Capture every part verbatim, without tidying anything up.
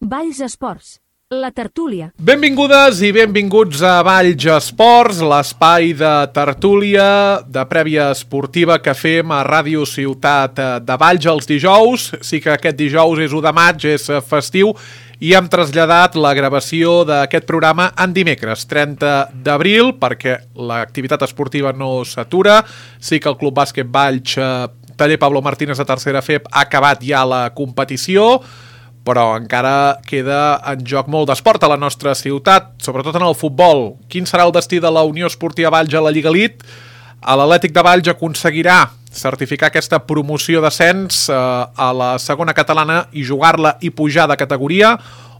Valls Esports, la tertúlia. Benvingudes i benvinguts a Valls Esports, l'espai de tertúlia de prèvia esportiva que fem a Ràdio Ciutat de Valls els dijous. Sí que aquest dijous és u de maig, és festiu, i hem traslladat la gravació d'aquest programa en dimecres, trenta d'abril, perquè l'activitat esportiva no s'atura. Sí que el Club Bàsquet Valls, Taller Pablo Martínez de tercera F E P, ha acabat ja la competició, però encara queda en joc molt d'esport a la nostra ciutat, sobretot en el futbol. Quin serà el destí de la Unió Esportiva Valls a la Lliga Elite? L'Atlètic de Valls aconseguirà certificar aquesta promoció d'ascens eh, a la segona catalana i jugar-la i pujar de categoria,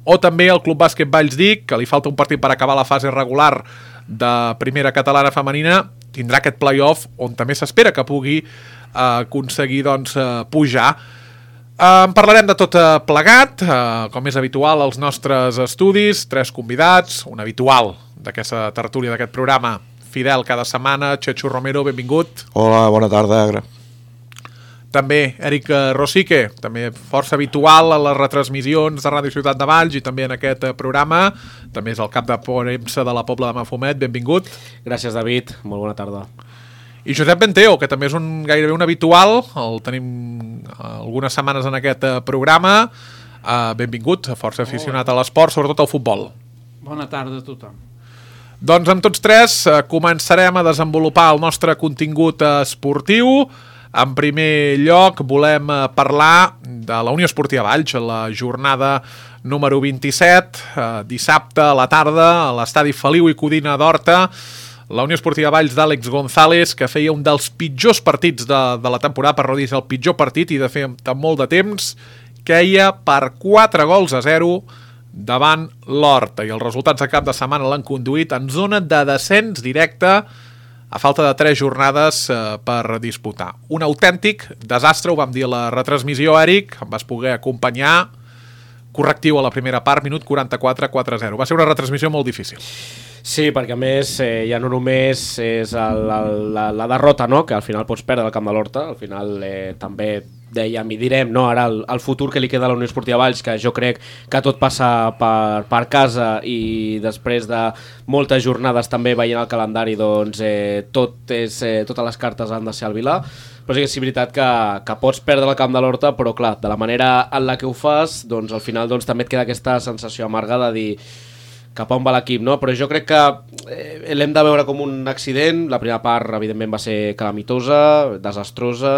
o també el Club Bàsquet Valls Dic, que li falta un partit per acabar la fase regular de primera catalana femenina, tindrà aquest play-off on també s'espera que pugui eh, aconseguir doncs, eh, pujar. En parlarem de tot plegat, com és habitual als nostres estudis, tres convidats, un habitual d'aquesta tertúlia d'aquest programa, fidel cada setmana, Chechu Romero, benvingut. Hola, bona tarda, Agra. També Eric Rosique, també força habitual a les retransmissions de Ràdio Ciutat de Valls i també en aquest programa, també és el cap de premsa de la Pobla de Mafumet, benvingut. Gràcies, David, molt bona tarda. I Josep Benteo, que també és un, gairebé un habitual, el tenim algunes setmanes en aquest programa. Uh, benvingut, força aficionat a l'esport, sobretot al futbol. Bona tarda a tothom. Doncs amb tots tres uh, començarem a desenvolupar el nostre contingut esportiu. En primer lloc volem uh, parlar de la Unió Esportiva Valls, la jornada número vint-i-set, uh, dissabte a la tarda a l'estadi Feliu i Codina d'Horta. La Unió Esportiva Valls d'Àlex González, que feia un dels pitjors partits de, de la temporada, per no dir el pitjor partit, i de fer amb molt de temps, queia per quatre gols a zero davant l'Horta. I els resultats de cap de setmana l'han conduït en zona de descens directe a falta de tres jornades eh, per disputar. Un autèntic desastre, ho vam dir a la retransmissió, Eric, em vas poder acompanyar, correctiu a la primera part, minut quaranta-quatre, quatre a zero. Va ser una retransmissió molt difícil. Sí, perquè a més eh, ja no només és el, el, la, la derrota, no? Que al final pots perdre el camp de l'Horta, al final eh, també dèiem i direm, no? Ara el, el futur que li queda a la Unió Esportiva Valls, que jo crec que tot passa per, per casa i després de moltes jornades també veient el calendari, doncs eh, tot és, eh, totes les cartes han de ser al Vilà, però sí que és veritat que, que pots perdre el camp de l'Horta, però clar, de la manera en la que ho fas, doncs al final doncs, també et queda aquesta sensació amarga de dir cap a on va l'equip, no? Però jo crec que eh, l'hem de veure com un accident. La primera part, evidentment, va ser calamitosa, desastrosa,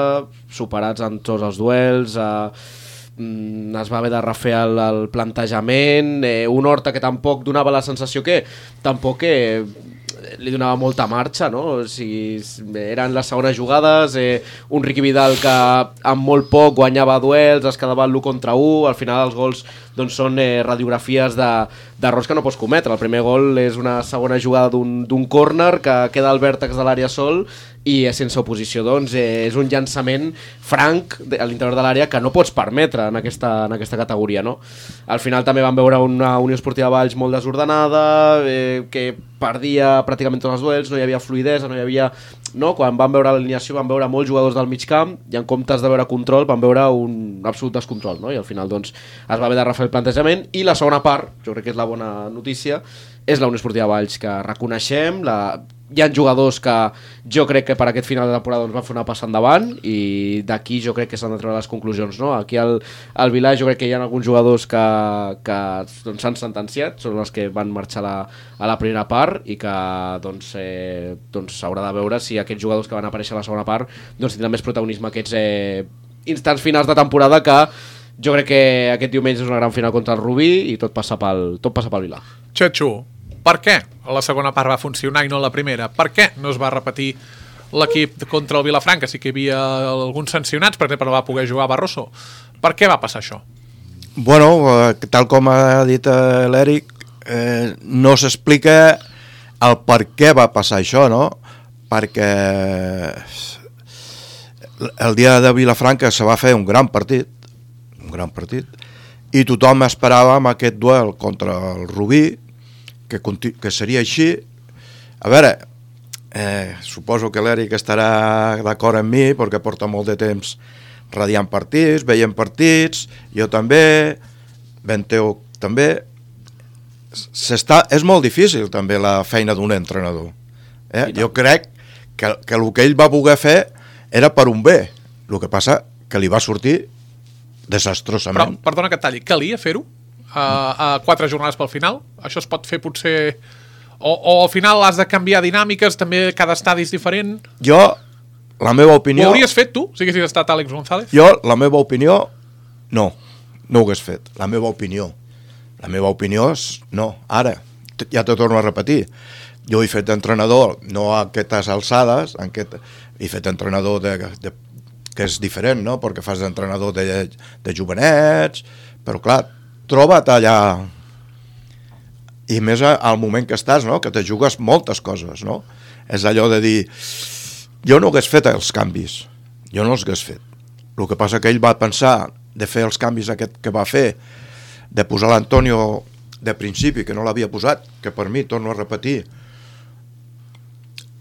superats en tots els duels, eh, mm, es va haver de refer el, el plantejament, eh, un Horta que tampoc donava la sensació que tampoc eh, li donava molta marxa, no? O sigui, eren les segones jugades, eh, un Riqui Vidal que amb molt poc guanyava duels, es quedava l'u contra u, al final els gols doncs, són eh, radiografies d'errors que no pots cometre. El primer gol és una segona jugada d'un córner que queda al vèrtex de l'àrea sol i sense oposició, doncs eh, és un llançament franc a l'interior de l'àrea que no pots permetre en aquesta, en aquesta categoria, no? Al final també vam veure una Unió Esportiva Valls molt desordenada, eh, que perdia pràcticament tots els duels, no hi havia fluïdesa, no hi havia... No? Quan vam veure l'alineació vam veure molts jugadors del mig camp i en comptes de veure control vam veure un absolut descontrol, no? I al final doncs, es va haver de refer el plantejament i la segona part, jo crec que és la bona notícia, és la Unió Esportiva Valls, que reconeixem, la... hi ha jugadors que jo crec que per aquest final de temporada doncs, van fer una passa endavant i d'aquí jo crec que s'han de treure les conclusions, no? Aquí al, al Vilà jo crec que hi ha alguns jugadors que, que doncs, s'han sentenciat, són els que van marxar la, a la primera part i que doncs, eh, doncs s'haurà de veure si aquests jugadors que van aparèixer a la segona part doncs, tindran més protagonisme aquests eh, instants finals de temporada, que jo crec que aquest diumenge és una gran final contra el Rubí i tot passa pel, tot passa pel Vilà. Chechu, per què la segona part va funcionar i no la primera? Per què no es va repetir l'equip contra el Vilafranca? Sí que hi havia alguns sancionats, per exemple, no va poder jugar Barroso. Per què va passar això? Bueno, tal com ha dit l'Eric, eh, no s'explica el per què va passar això, no? Perquè el dia de Vilafranca se va fer un gran partit, un gran partit, i tothom esperava amb aquest duel contra el Rubí, que, que seria així. A veure, eh, suposo que l'Eric estarà d'acord amb mi perquè porta molt de temps radiant partits, veient partits, jo també, Benteo també s'està, és molt difícil també la feina d'un entrenador. Eh? Jo crec que, que el que ell va poder fer era per un bé. El que passa que li va sortir desastrosament. Però, perdona que et talli, calia fer-ho? A, a quatre jornades pel final? Això es pot fer potser... O, o al final has de canviar dinàmiques, també cada estadi és diferent? Jo, la meva opinió... Ho hauries fet tu, si haguessis estat Àlex González? Jo, la meva opinió, no, no ho hagués fet. La meva opinió. La meva opinió és no. Ara, ja te torno a repetir, jo he fet d'entrenador, no a aquestes alçades, en aquest, he fet d'entrenador de, de, que és diferent, no? Perquè fas d'entrenador de, de jovenets, però clar, troba't allà... I més al moment que estàs, no? Que te jugues moltes coses, no? És allò de dir, jo no hagués fet els canvis, jo no els hagués fet. El que passa que ell va pensar de fer els canvis aquest que va fer, de posar l'Antonio de principi, que no l'havia posat, que per mi, torno a repetir,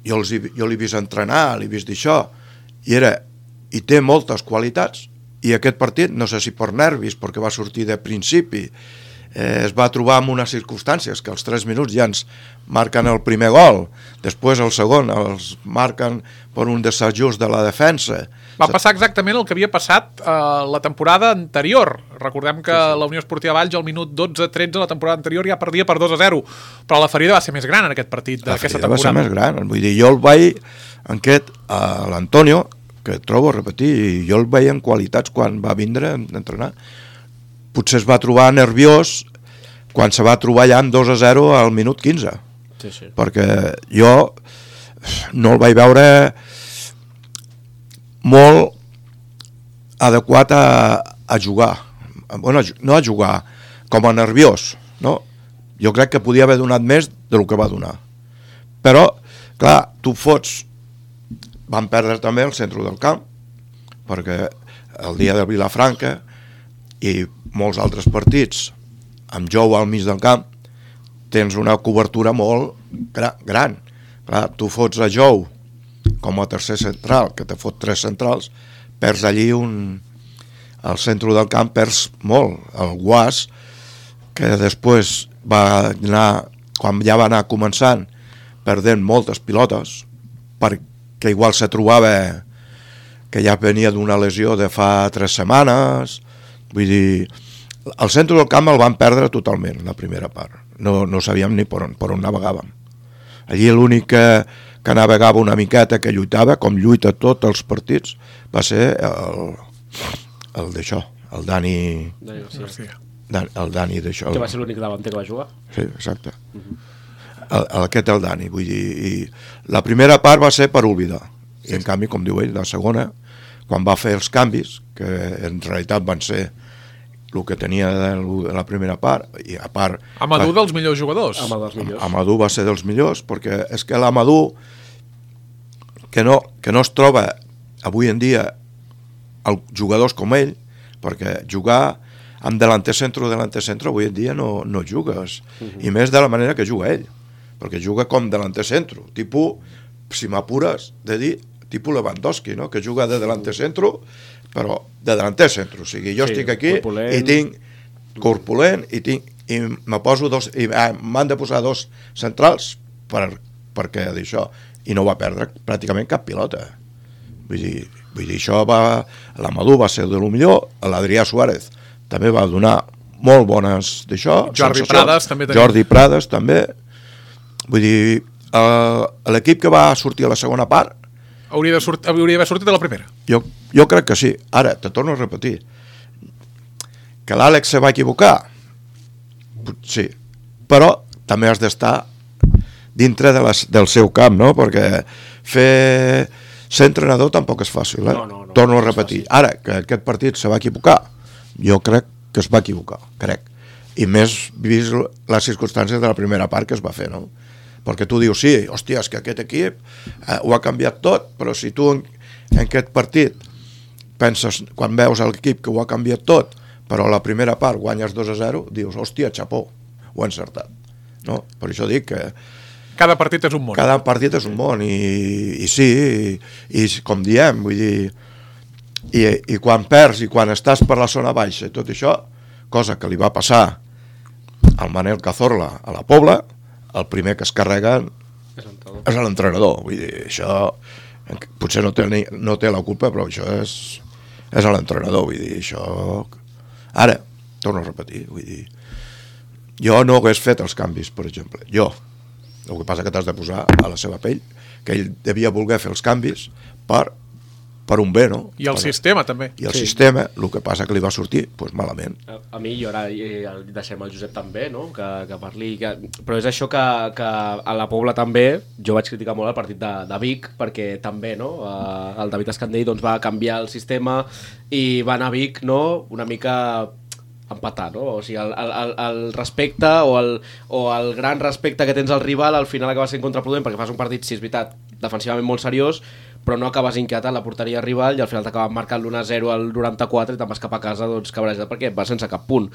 jo, els, jo l'he vist entrenar, l'he vist d'això, i era, i té moltes qualitats, i aquest partit, no sé si per nervis, perquè va sortir de principi, eh, es va trobar en unes circumstàncies que als tres minuts ja ens marquen el primer gol, després el segon els marquen per un desajust de la defensa. Va passar exactament el que havia passat eh, la temporada anterior. Recordem que sí, sí. La Unió Esportiva Valls al minut dotze tretze la temporada anterior ja perdia per dos a zero, però la ferida va ser més gran en aquest partit d'aquesta temporada. La ferida va ser més gran, vull dir, jo el vaig en aquest, a l'Antonio, que trobo a repetir, jo el veia en qualitats quan va vindre a entrenar. Potser es va trobar nerviós quan se va trobar ja en dos a zero al minut quinze. Sí, sí. Perquè jo no el vaig veure molt adequat a, a jugar. Bueno, no a jugar, com a nerviós, no? Jo crec que podia haver donat més del que va donar. Però, clar, tu fots... Van perdre també el centre del camp, perquè el dia de Vilafranca i molts altres partits amb Jou al mig del camp tens una cobertura molt gra- gran. Clar, tu fots a Jou com a tercer central, que te fot tres centrals, perds allí un... al centre del camp perds molt. El Guas, que després va anar, quan ja va anar començant, perdent moltes pilotes, perquè que igual se trobava que ja venia d'una lesió de fa tres setmanes, vull dir, el centre del camp el van perdre totalment, la primera part, no, no sabíem ni per on, per on navegàvem. Allí l'únic que, que navegava una miqueta, que lluitava, com lluita tots els partits, va ser el, el d'això, el Dani... Dani Garcia. Dan, el Dani d'això. Que va ser l'únic davanter que va jugar. Sí, exacte. Uh-huh. El, el, aquest el Dani, vull dir, i la primera part va ser per oblidar, i en canvi, com diu ell, la segona, quan va fer els canvis, que en realitat van ser el que tenia de la primera part, i a part... Amadou dels millors jugadors. Amadou dels millors. Amadou va ser dels millors, perquè és que l'Amadou, que no, que no es troba avui en dia els jugadors com ell, perquè jugar amb delanter centre o delanter centre avui en dia no, no jugues, uh-huh. I més de la manera que juga ell, perquè juga com delanter centre, tipus, si m'apures de dir, tipus Lewandowski, no? Que juga de delanter centre, però de delanter centre, o sigui, jo sí, estic aquí corpulent. I tinc corpulent i, tinc, i me poso dos, i ah, m'han de posar dos centrals per, perquè d'això, i no va perdre pràcticament cap pilota. Vull dir, vull dir això va, l'Amadou va ser de lo millor, l'Adrià Suárez també va donar molt bones d'això. Jordi Prades també. Jordi Prades també. Vull dir, uh, l'equip que va sortir a la segona part hauria de sort, hauria d'haver sortit a la primera. Jo, jo crec que sí. Ara, te torno a repetir, que l'Àlex se va equivocar, sí, però també has d'estar dintre de les, del seu camp, no? Perquè fer ser entrenador tampoc és fàcil, eh? No, no, no, torno no a repetir. Ara, que aquest partit se va equivocar, jo crec que es va equivocar, crec. I més vist les circumstàncies de la primera part que es va fer, no? Perquè tu dius, sí, hòstia, és que aquest equip eh, ho ha canviat tot, però si tu en, en aquest partit penses, quan veus l'equip que ho ha canviat tot, però a la primera part guanyes dos a zero, dius, hòstia, xapó, ho ha encertat, no? Per això dic que cada partit és un món. Cada partit és un món, i, i sí, i, i com diem, vull dir, i, i quan perds i quan estàs per la zona baixa i tot això, cosa que li va passar el Manel Cazorla a la Pobla, el primer que es carreguen és l'entrenador. Vull dir, això potser no té, ni, no té la culpa, però això és, és l'entrenador. Vull dir, això... Ara, torno a repetir, vull dir, jo no hagués fet els canvis, per exemple. Jo. El que passa que t'has de posar a la seva pell, que ell devia voler fer els canvis per... per un bé, no? I el per, sistema, també. I el sí. sistema, el que passa que li va sortir, doncs malament. A, a mi, i ara i, i deixem el Josep també, no? que, que parli... Que... Però és això que, que a la Pobla també, jo vaig criticar molt el partit de, de Vic, perquè també, no? Uh, el David Escandell doncs, va canviar el sistema i va anar a Vic, no? Una mica empatar, no? O sigui, el, el, el respecte o el, o el gran respecte que tens al rival al final acaba sent contraproduent perquè fas un partit, si és veritat, defensivament molt seriós, però no acabes inquietant la porteria rival i al final t'acabes marcant l'u a zero al noranta-quatre i te'n vas cap a casa doncs cabrejat perquè vas sense cap punt.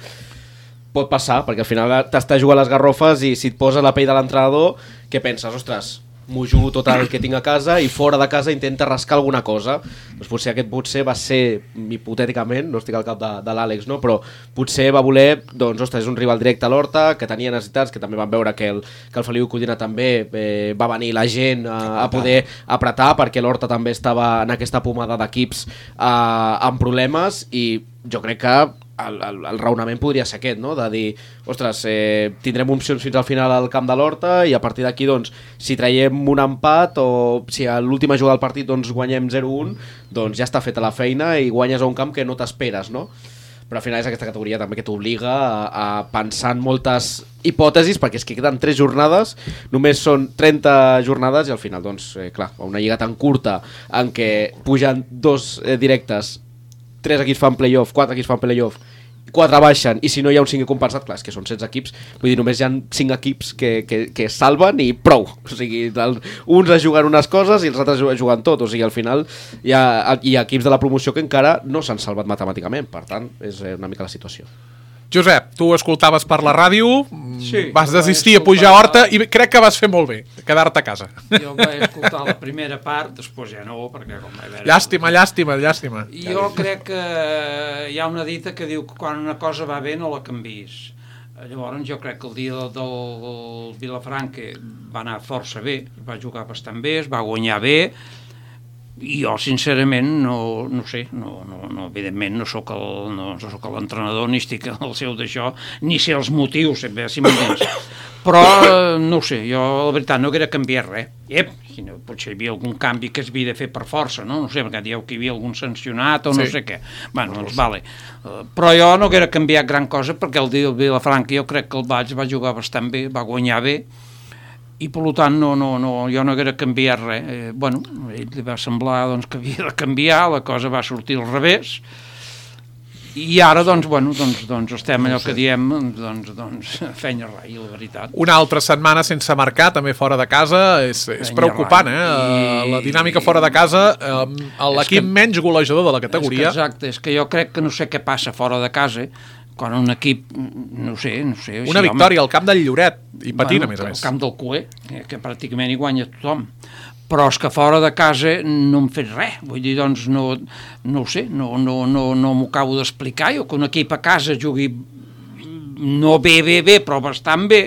Pot passar, perquè al final t'estàs jugant les garrofes i si et posa la pell de l'entrenador, què penses? Ostres, m'ho jugo tot el que tinc a casa i fora de casa intenta rascar alguna cosa. Doncs potser aquest potser va ser, hipotèticament, no estic al cap de, de l'Àlex, no? Però potser va voler, doncs, ostres, és un rival directe a l'Horta, que tenia necessitats, que també van veure que el, que el Feliu Codina també eh, va venir la gent a, a poder apretar, perquè l'Horta també estava en aquesta pomada d'equips eh, amb problemes i jo crec que El, el, el raonament podria ser aquest, no? De dir, ostres, eh, tindrem opcions fins al final al camp de l'Horta i a partir d'aquí, doncs, si traiem un empat o si a l'última jugada del partit doncs, guanyem zero a un, doncs ja està feta la feina i guanyes a un camp que no t'esperes, no? Però al final és aquesta categoria també que t'obliga a, a pensar en moltes hipòtesis, perquè és que queden tres jornades, només són trenta jornades i al final, doncs, eh, clar, una lliga tan curta en què pugen dos eh, directes, tres equips fan playoff, quatre equips fan playoff, quatre baixen, i si no hi ha un cinquè compensat, clar, és que són setze equips, vull dir, només hi ha cinc equips que, que, que es salven i prou, o sigui, el, uns es juguen unes coses i els altres juguen tot, o sigui, al final hi ha, hi ha equips de la promoció que encara no s'han salvat matemàticament, per tant, és una mica la situació. Josep, tu escoltaves per la ràdio, sí, vas desistir a pujar a Horta i crec que vas fer molt bé, quedar-te a casa. Jo vaig escoltar la primera part, després ja no, perquè com vaig veure... Llàstima, llàstima, llàstima. Jo crec que hi ha una dita que diu que quan una cosa va bé no la canvis. Llavors jo crec que el dia del Vilafranca va anar força bé, va jugar bastant bé, es va guanyar bé, i jo sincerament no, no sé, no, no, no, evidentment no sóc el, no, no sóc l'entrenador ni estic al seu d'això, ni sé els motius, si m'entens. Però no ho sé, jo la veritat no hauria canviat res. Ep, si no, potser hi havia algun canvi que es havia de fer per força, no? No sé, perquè dieu que hi havia algun sancionat o no sí. sé què. Bueno, doncs vale. Uh, però jo no hauria canviat gran cosa perquè el dia del Vilafranca jo crec que el Valls va jugar bastant bé, va guanyar bé, i per tant no, no, no, jo no hauria canviat res. Eh, bueno, a ell li va semblar doncs, que havia de canviar, la cosa va sortir al revés, i ara doncs, bueno, doncs, doncs estem allò que diem, doncs, doncs feina rai, la veritat. Una altra setmana sense marcar, també fora de casa, és, és preocupant, eh? I... La dinàmica fora de casa, eh, l'equip que... menys golejador de la categoria. És que, exacte, és que jo crec que no sé què passa fora de casa, quan un equip, no sé, no sé... Una victòria home, al camp del Lloret, i patint, bueno, a més a més. Al camp del Cué, que pràcticament hi guanya tothom. Però és que fora de casa no hem fet res, vull dir, doncs no, no ho sé, no, no, no, no m'ho acabo d'explicar, jo que un equip a casa jugui no bé, bé, bé, però bastant bé,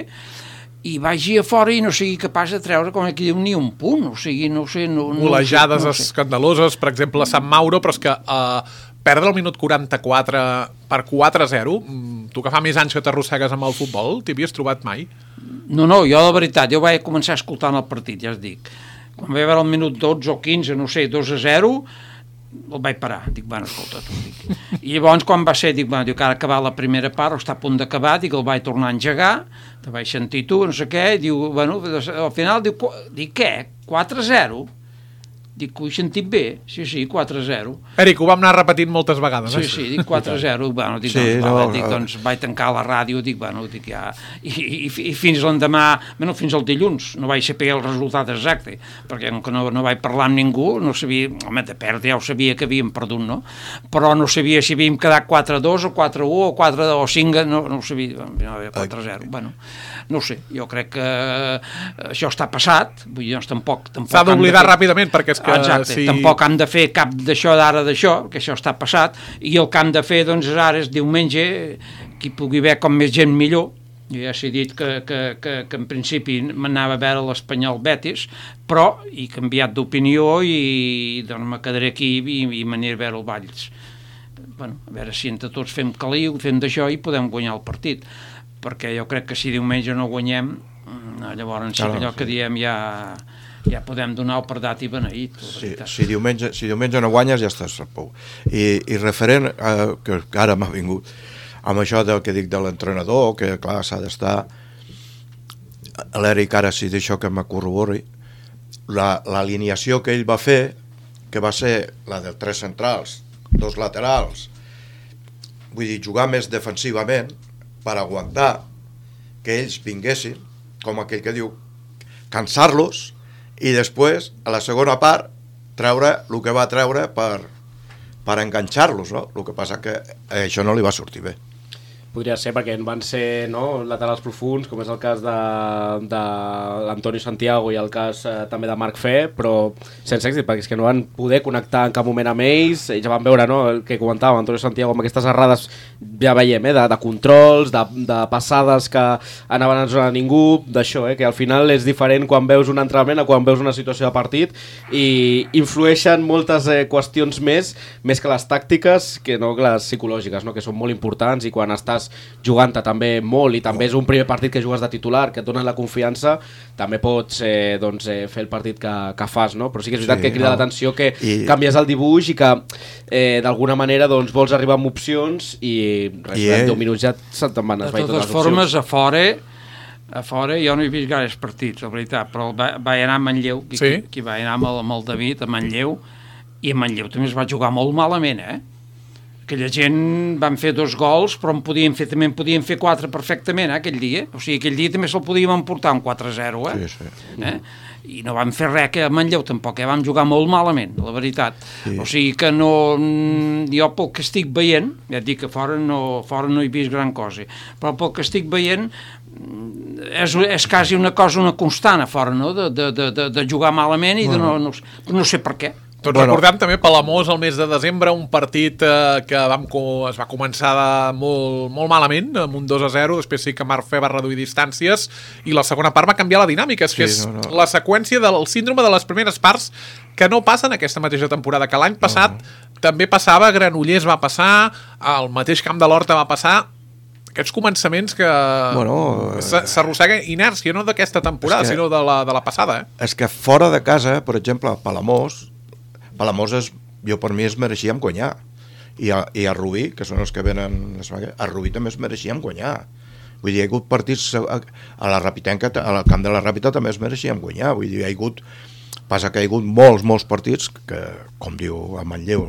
i vagi a fora i no sigui capaç de treure, com aquí diu, ni un punt, o sigui, no sé... No, Golejades no sé, no escandaloses, per exemple, a Sant Mauro, però és que... Uh, perdre el minut quaranta-quatre per quatre a zero, tu que fa més anys que t'arrossegues amb el futbol, t'hi havies trobat mai? No, no, jo de veritat, jo vaig començar escoltant el partit, ja es dic. Quan vaig veure el minut dotze o quinze, no sé, dos a zero, el vaig parar. Dic, bueno, escolta, tu, dic. I llavors, quan va ser, dic, bueno, dic, ara acabar la primera part, o està a punt d'acabar, dic, el vaig tornar a engegar, te vaig sentir tu, no sé què, i diu, bueno, al final, diu, dic, què? quatre a zero? Dic, ho he sentit bé? Sí, sí, quatre a zero. Eric, ho vam anar repetint moltes vegades. Sí, eh? sí, dic quatre a zero. Bueno, dic, sí, doncs, no, vale, dic, no. doncs vaig tancar la ràdio, dic, bueno, dic ja... I, i, i fins l'endemà, bueno, fins al dilluns, no vaig saber el resultat exacte, perquè no, no vaig parlar amb ningú, no sabia, home, de perdre ja ho sabia que havíem perdut, no? Però no sabia si havíem quedat quatre a dos o quatre a u o quatre a cinc, no, no ho sabia, no, quatre a zero. Bueno, no sé, jo crec que això està passat, vull dir, doncs tampoc... tampoc s'ha d'oblidar fer... ràpidament, perquè és que... Exacte, si... tampoc han de fer cap d'això d'ara d'això, que això està passat, i el que han de fer, doncs, ara és diumenge, qui pugui haver com més gent millor, Jo ja s'he dit que, que, que, que en principi m'anava a veure l'Espanyol Betis, però he canviat d'opinió i doncs me quedaré aquí i, i m'aniré a veure el Valls. Bueno, a veure si entre tots fem caliu, fem d'això i podem guanyar el partit, perquè jo crec que si diumenge no guanyem, llavors sí que allò que diem ja, ja podem donar el per dat i beneït. Sí, si, diumenge, si diumenge no guanyes ja estàs a pou. I, i referent, eh, que ara m'ha vingut, amb això del que dic de l'entrenador, que clar, s'ha d'estar... L'Eric ara sí d'això que me corrobori, l'alineació que ell va fer, que va ser la de tres centrals, dos laterals, vull dir, jugar més defensivament per aguantar que ells vinguessin, com aquell que diu, cansar-los, i després, a la segona part, treure el que va treure per, per enganxar-los, no? El que passa que això no li va sortir bé. Podria ser perquè en van ser, no, laterals profuns, com és el cas de, de l'Antonio Santiago i el cas eh, també de Marc Fe, però sense èxit, perquè és que no van poder connectar en cap moment amb ells. Ells ja van veure, no, el que comentava Antonio Santiago amb aquestes errades, ja veiem, eh, de, de controls, de, de passades que anaven en zona de ningú, d'això, eh, que al final és diferent quan veus un entrenament a quan veus una situació de partit, i influeixen moltes eh, qüestions més, més que les tàctiques, que no que les psicològiques, no, que són molt importants, i quan estàs jugant-te també molt i també és un primer partit que jugues de titular, que et donen la confiança, també pots eh, doncs, eh, fer el partit que, que fas, no? Però sí que és veritat sí, que crida no. l'atenció que I... canvies el dibuix i que eh, d'alguna manera doncs, vols arribar amb opcions i res, I en deu minuts ja se'n te'n van esvair totes les opcions. De totes formes, a fora a fora jo no he vist gaires partits, la veritat, però va, va anar a Manlleu, qui, sí? qui, qui va anar amb el, amb el David a Manlleu, i a Manlleu també es va jugar molt malament, eh? Aquella gent van fer dos gols, però en podien fer, també en podien fer quatre perfectament, eh, aquell dia. O sigui, aquell dia també se'l podíem emportar un quatre a zero, eh? Sí, sí. Eh? I no vam fer res que a Manlleu tampoc, eh? Vam jugar molt malament, la veritat. Sí. O sigui que no... Jo pel que estic veient, ja et dic que fora no, fora no he vist gran cosa, però pel que estic veient és, és quasi una cosa, una constant a fora, no? De, de, de, de jugar malament i de no, no, no sé per què. Tots bueno. recordem també Palamós el mes de desembre, un partit eh, que vam, es va començar de molt, molt malament, amb un dos a zero, després sí que Marc Fe va reduir distàncies i la segona part va canviar la dinàmica, és sí, que és no, no. la seqüència del síndrome de les primeres parts que no passa en aquesta mateixa temporada, que l'any passat no. també passava, Granollers va passar, al mateix Camp de l'Horta va passar, aquests començaments que bueno, s'arrossega inèrcia, no d'aquesta temporada, que, sinó de la, de la passada. Eh? És que fora de casa, per exemple, Palamós, Palamós és, jo per mi es mereixíem guanyar, i a, i a Rubí, que són els que venen a Rubí també es mereixíem guanyar, vull dir, hi ha hagut partits a, a la Rapitenca, al camp de la Ràpita també es mereixíem guanyar, vull dir, hi ha hagut, passa que hi ha hagut molts, molts partits que, com diu a Manlleu,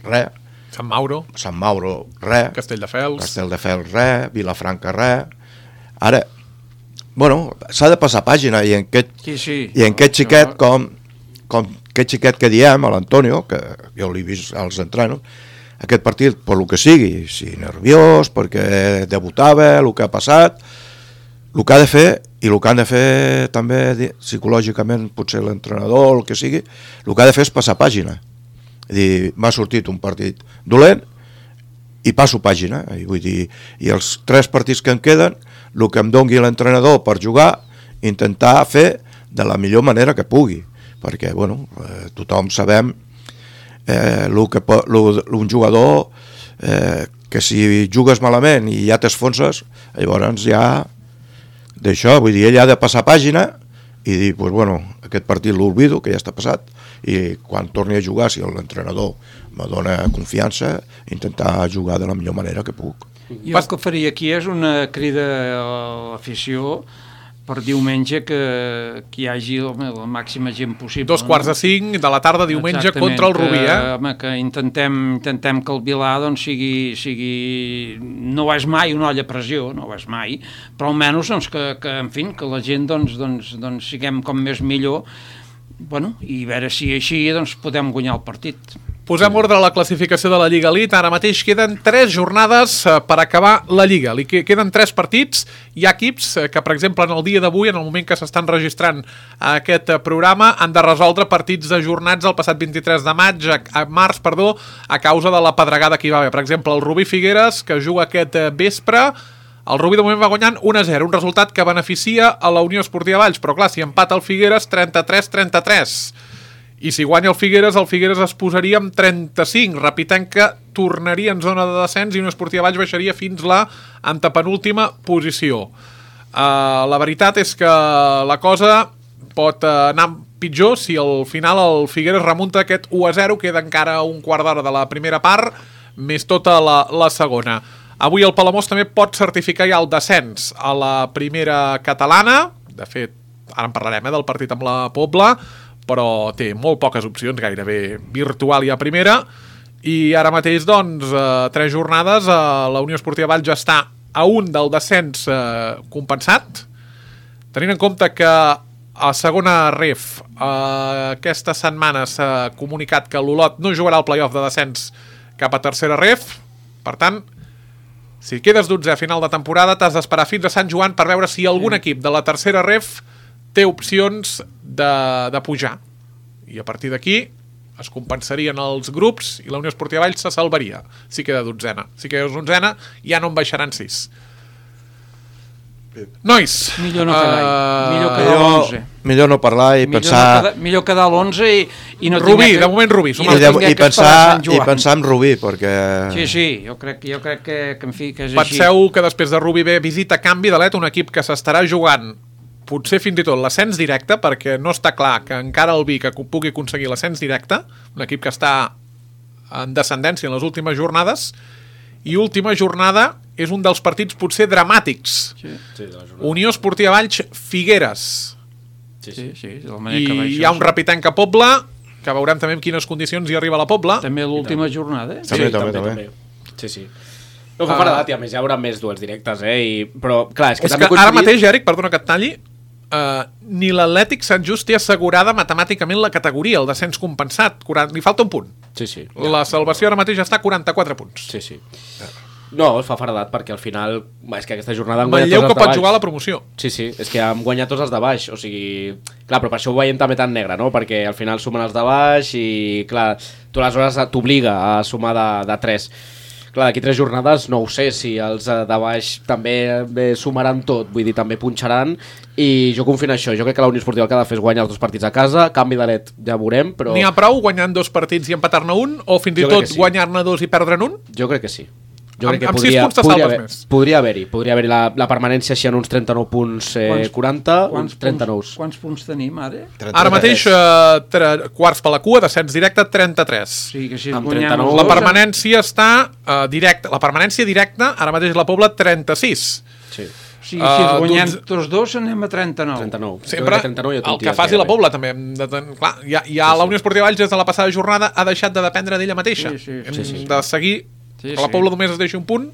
res, Sant Mauro, Sant Mauro, res, Castelldefels, Castelldefels, res, Vilafranca, res, ara, bueno, s'ha de passar pàgina, i en aquest, sí, sí. I en aquest xiquet, com, com aquest xiquet que diem, a l'Antonio, que jo l'he vist als entrenos, aquest partit, per lo que sigui, si nerviós, perquè debutava, el que ha passat, el que ha de fer, i el que han de fer també psicològicament, potser l'entrenador, el que sigui, el que ha de fer és passar pàgina. És dir, m'ha sortit un partit dolent, i passo pàgina, i vull dir, i els tres partits que em queden, el que em dongui l'entrenador per jugar, intentar fer de la millor manera que pugui, perquè, bueno, eh, tothom sabem eh, lo que po, lo, un jugador eh, que si jugues malament i ja t'esfonses, llavors ja d'això, vull dir, ell ha de passar pàgina i dir, pues bueno, aquest partit l'olvido, que ja està passat, i quan torni a jugar, si l'entrenador me dona confiança, intentar jugar de la millor manera que puc. Jo el que faria aquí és una crida a l'afició per diumenge que, que hi hagi la, la màxima gent possible. Dos quarts de cinc de la tarda diumenge Exactament, contra el Rubí, eh? Que, home, que intentem, intentem que el Vilà doncs, sigui, sigui... No és mai una olla a pressió, no és mai, però almenys doncs, que, que, en fi, que la gent doncs, doncs, doncs, siguem com més millor, bueno, i a veure si així doncs, podem guanyar el partit. Posem ordre a la classificació de la Lliga Elite. Ara mateix queden tres jornades per acabar la Lliga. Li queden tres partits. Hi ha equips que, per exemple, en el dia d'avui, en el moment que s'estan registrant aquest programa, han de resoldre partits ajornats el passat vint-i-tres de maig, a març, perdó, a causa de la pedregada que hi va haver. Per exemple, el Rubí Figueres, que juga aquest vespre El Rubí de moment va guanyant un a zero, un resultat que beneficia a la Unió Esportiva Valls, però clar, si empata el Figueres, trenta-tres a trenta-tres. I si guanya el Figueres, el Figueres es posaria amb trenta-cinc, repitant que tornaria en zona de descens i Unió Esportiva Valls baixaria fins la antepenúltima posició. Uh, la veritat és que la cosa pot anar pitjor si al final el Figueres remunta aquest u a zero, queda encara un quart d'hora de la primera part, més tota la, la segona. Avui el Palamós també pot certificar ja el descens a la primera catalana. De fet, ara en parlarem eh, del partit amb la Pobla, però té molt poques opcions, gairebé virtual ja a primera. I ara mateix, doncs, eh, tres jornades, eh, la Unió Esportiva Valls ja està a un del descens eh, compensat, tenint en compte que a segona ref eh, aquesta setmana s'ha comunicat que l'Olot no jugarà el play-off de descens cap a tercera ref. Per tant, si quedes dotzè a final de temporada, t'has d'esperar fins a Sant Joan per veure si algun equip de la tercera ref té opcions de, de pujar. I a partir d'aquí es compensarien els grups i la Unió Esportiva Valls se salvaria si queda dotzena. Si queda onzena, ja no en baixaran sis. Nois, millor no quedar, uh, millor quedar millor, l'onze. Millor no parlar i millor pensar... No quedar, millor quedar a l'onze i, i no Rubí, que, de moment Rubí. I, I, no de, i, pensar, i pensar en Rubí, perquè... Sí, sí, jo crec, jo crec que, que, en fi, que és Penseu així. que després de Rubí ve visita Canvi de Let, un equip que s'estarà jugant potser fins i tot l'ascens directe, perquè no està clar que encara el Vic pugui aconseguir l'ascens directe, un equip que està en descendència en les últimes jornades, i última jornada és un dels partits potser dramàtics. Sí. Sí, Unió Esportiva Valls, Figueres. Sí, Sí, sí. sí, de la manera I que va això, hi ha un sí. repitant que Pobla, que veurem també en quines condicions hi arriba la Pobla. També l'última jornada, eh? També, sí, també, també, també. també. Sí, sí. No fa fora d'edat i a més hi haurà més duels directes, eh? I... Però, clar, és que És també que coincidit... ara mateix, Eric, perdona que et talli, uh, ni l'Atlètic Sant Just té assegurada matemàticament la categoria, el descens compensat. quaranta Li falta un punt. Sí, sí. La salvació ara mateix està a quaranta-quatre punts. Sí, sí. No, es fa faradat perquè al final... És que aquesta jornada han guanyat Manlleu tots que els de pot baix. jugar a la promoció. Sí, sí, és que han guanyat tots els de baix, o sigui... Clar, però per això ho veiem també tan negre, no? Perquè al final sumen els de baix i, clar, tu aleshores t'obliga a sumar de, de tres. Clar, d'aquí tres jornades no ho sé si els de baix també bé, sumaran tot, vull dir, també punxaran, i jo confio en això. Jo crec que la Unió Esportiva el que ha de fer és guanyar els dos partits a casa, Canvi de Let ja veurem, però... N'hi ha prou guanyant dos partits i empatar-ne un? O fins i Jo crec tot que sí. guanyar-ne dos i perdre'n un? Jo crec que sí. Jo Amb- crec que amb sis podria, punts te podria, salves haver, més. podria haver-hi, podria haver-hi la, la permanència així en uns trenta-nou punts, eh, Quants- quaranta, Quants uns trenta-nou. punts, quants punts tenim ara? Ara mateix, uh, tre, quarts per la cua, descens directe, trenta-tres. O sigui que si Amb guanyem trenta-nou. els La dos, permanència està uh, directa. La permanència directa, ara mateix la Pobla, trenta-sis. Sí, O sigui, si Uh, els guanyem doncs- tots dos anem a trenta-nou. trenta-nou. Sempre trenta-nou ja el que faci la Pobla també hem de ten... clar, ja, ja la Unió Esportiva Valls des de la passada jornada ha deixat de dependre d'ella mateixa. Sí, sí, hem sí, sí. de seguir Sí, que la sí. Pobla només es deixi un punt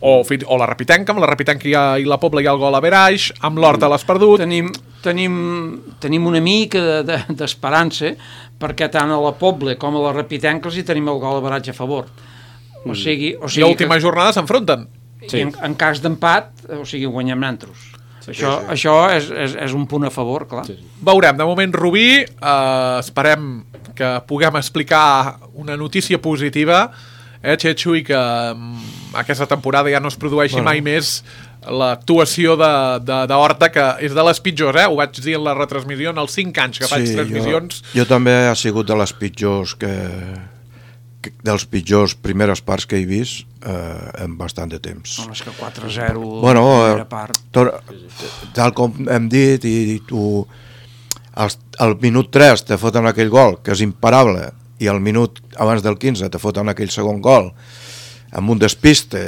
o, fins, o la Repitenca, amb la Repitenca i, i la Pobla hi ha el gol a Veraix, amb l'Horta l'has perdut. Tenim, tenim, tenim una mica de- de- d'esperança perquè tant a la Pobla com a la Repitenca els hi tenim el gol a baratge a favor. O sigui, o I sigui l'última jornada s'enfronten. sí. en, en cas d'empat, o sigui, guanyem nantros. Sí, això sí. això és, és, és un punt a favor, clar. Sí. Veurem, de moment Rubí, eh, esperem que puguem explicar una notícia positiva, eh, Xetxu, i que mm, aquesta temporada ja no es produeixi bueno. mai més l'actuació d'Horta, que és de les pitjors, eh? Ho vaig dir en la retransmissió en els cinc anys que faig Sí, transmissions. jo, jo també ha sigut de les pitjors que, que dels pitjors primeres parts que he vist eh, en bastant de temps. Home, és que quatre a zero Bueno, la eh, primera part. tot, tal com hem dit, i, i tu al, al minut tres te foten aquell gol, que és imparable, i al minut abans del quinze te foten aquell segon gol amb un despiste,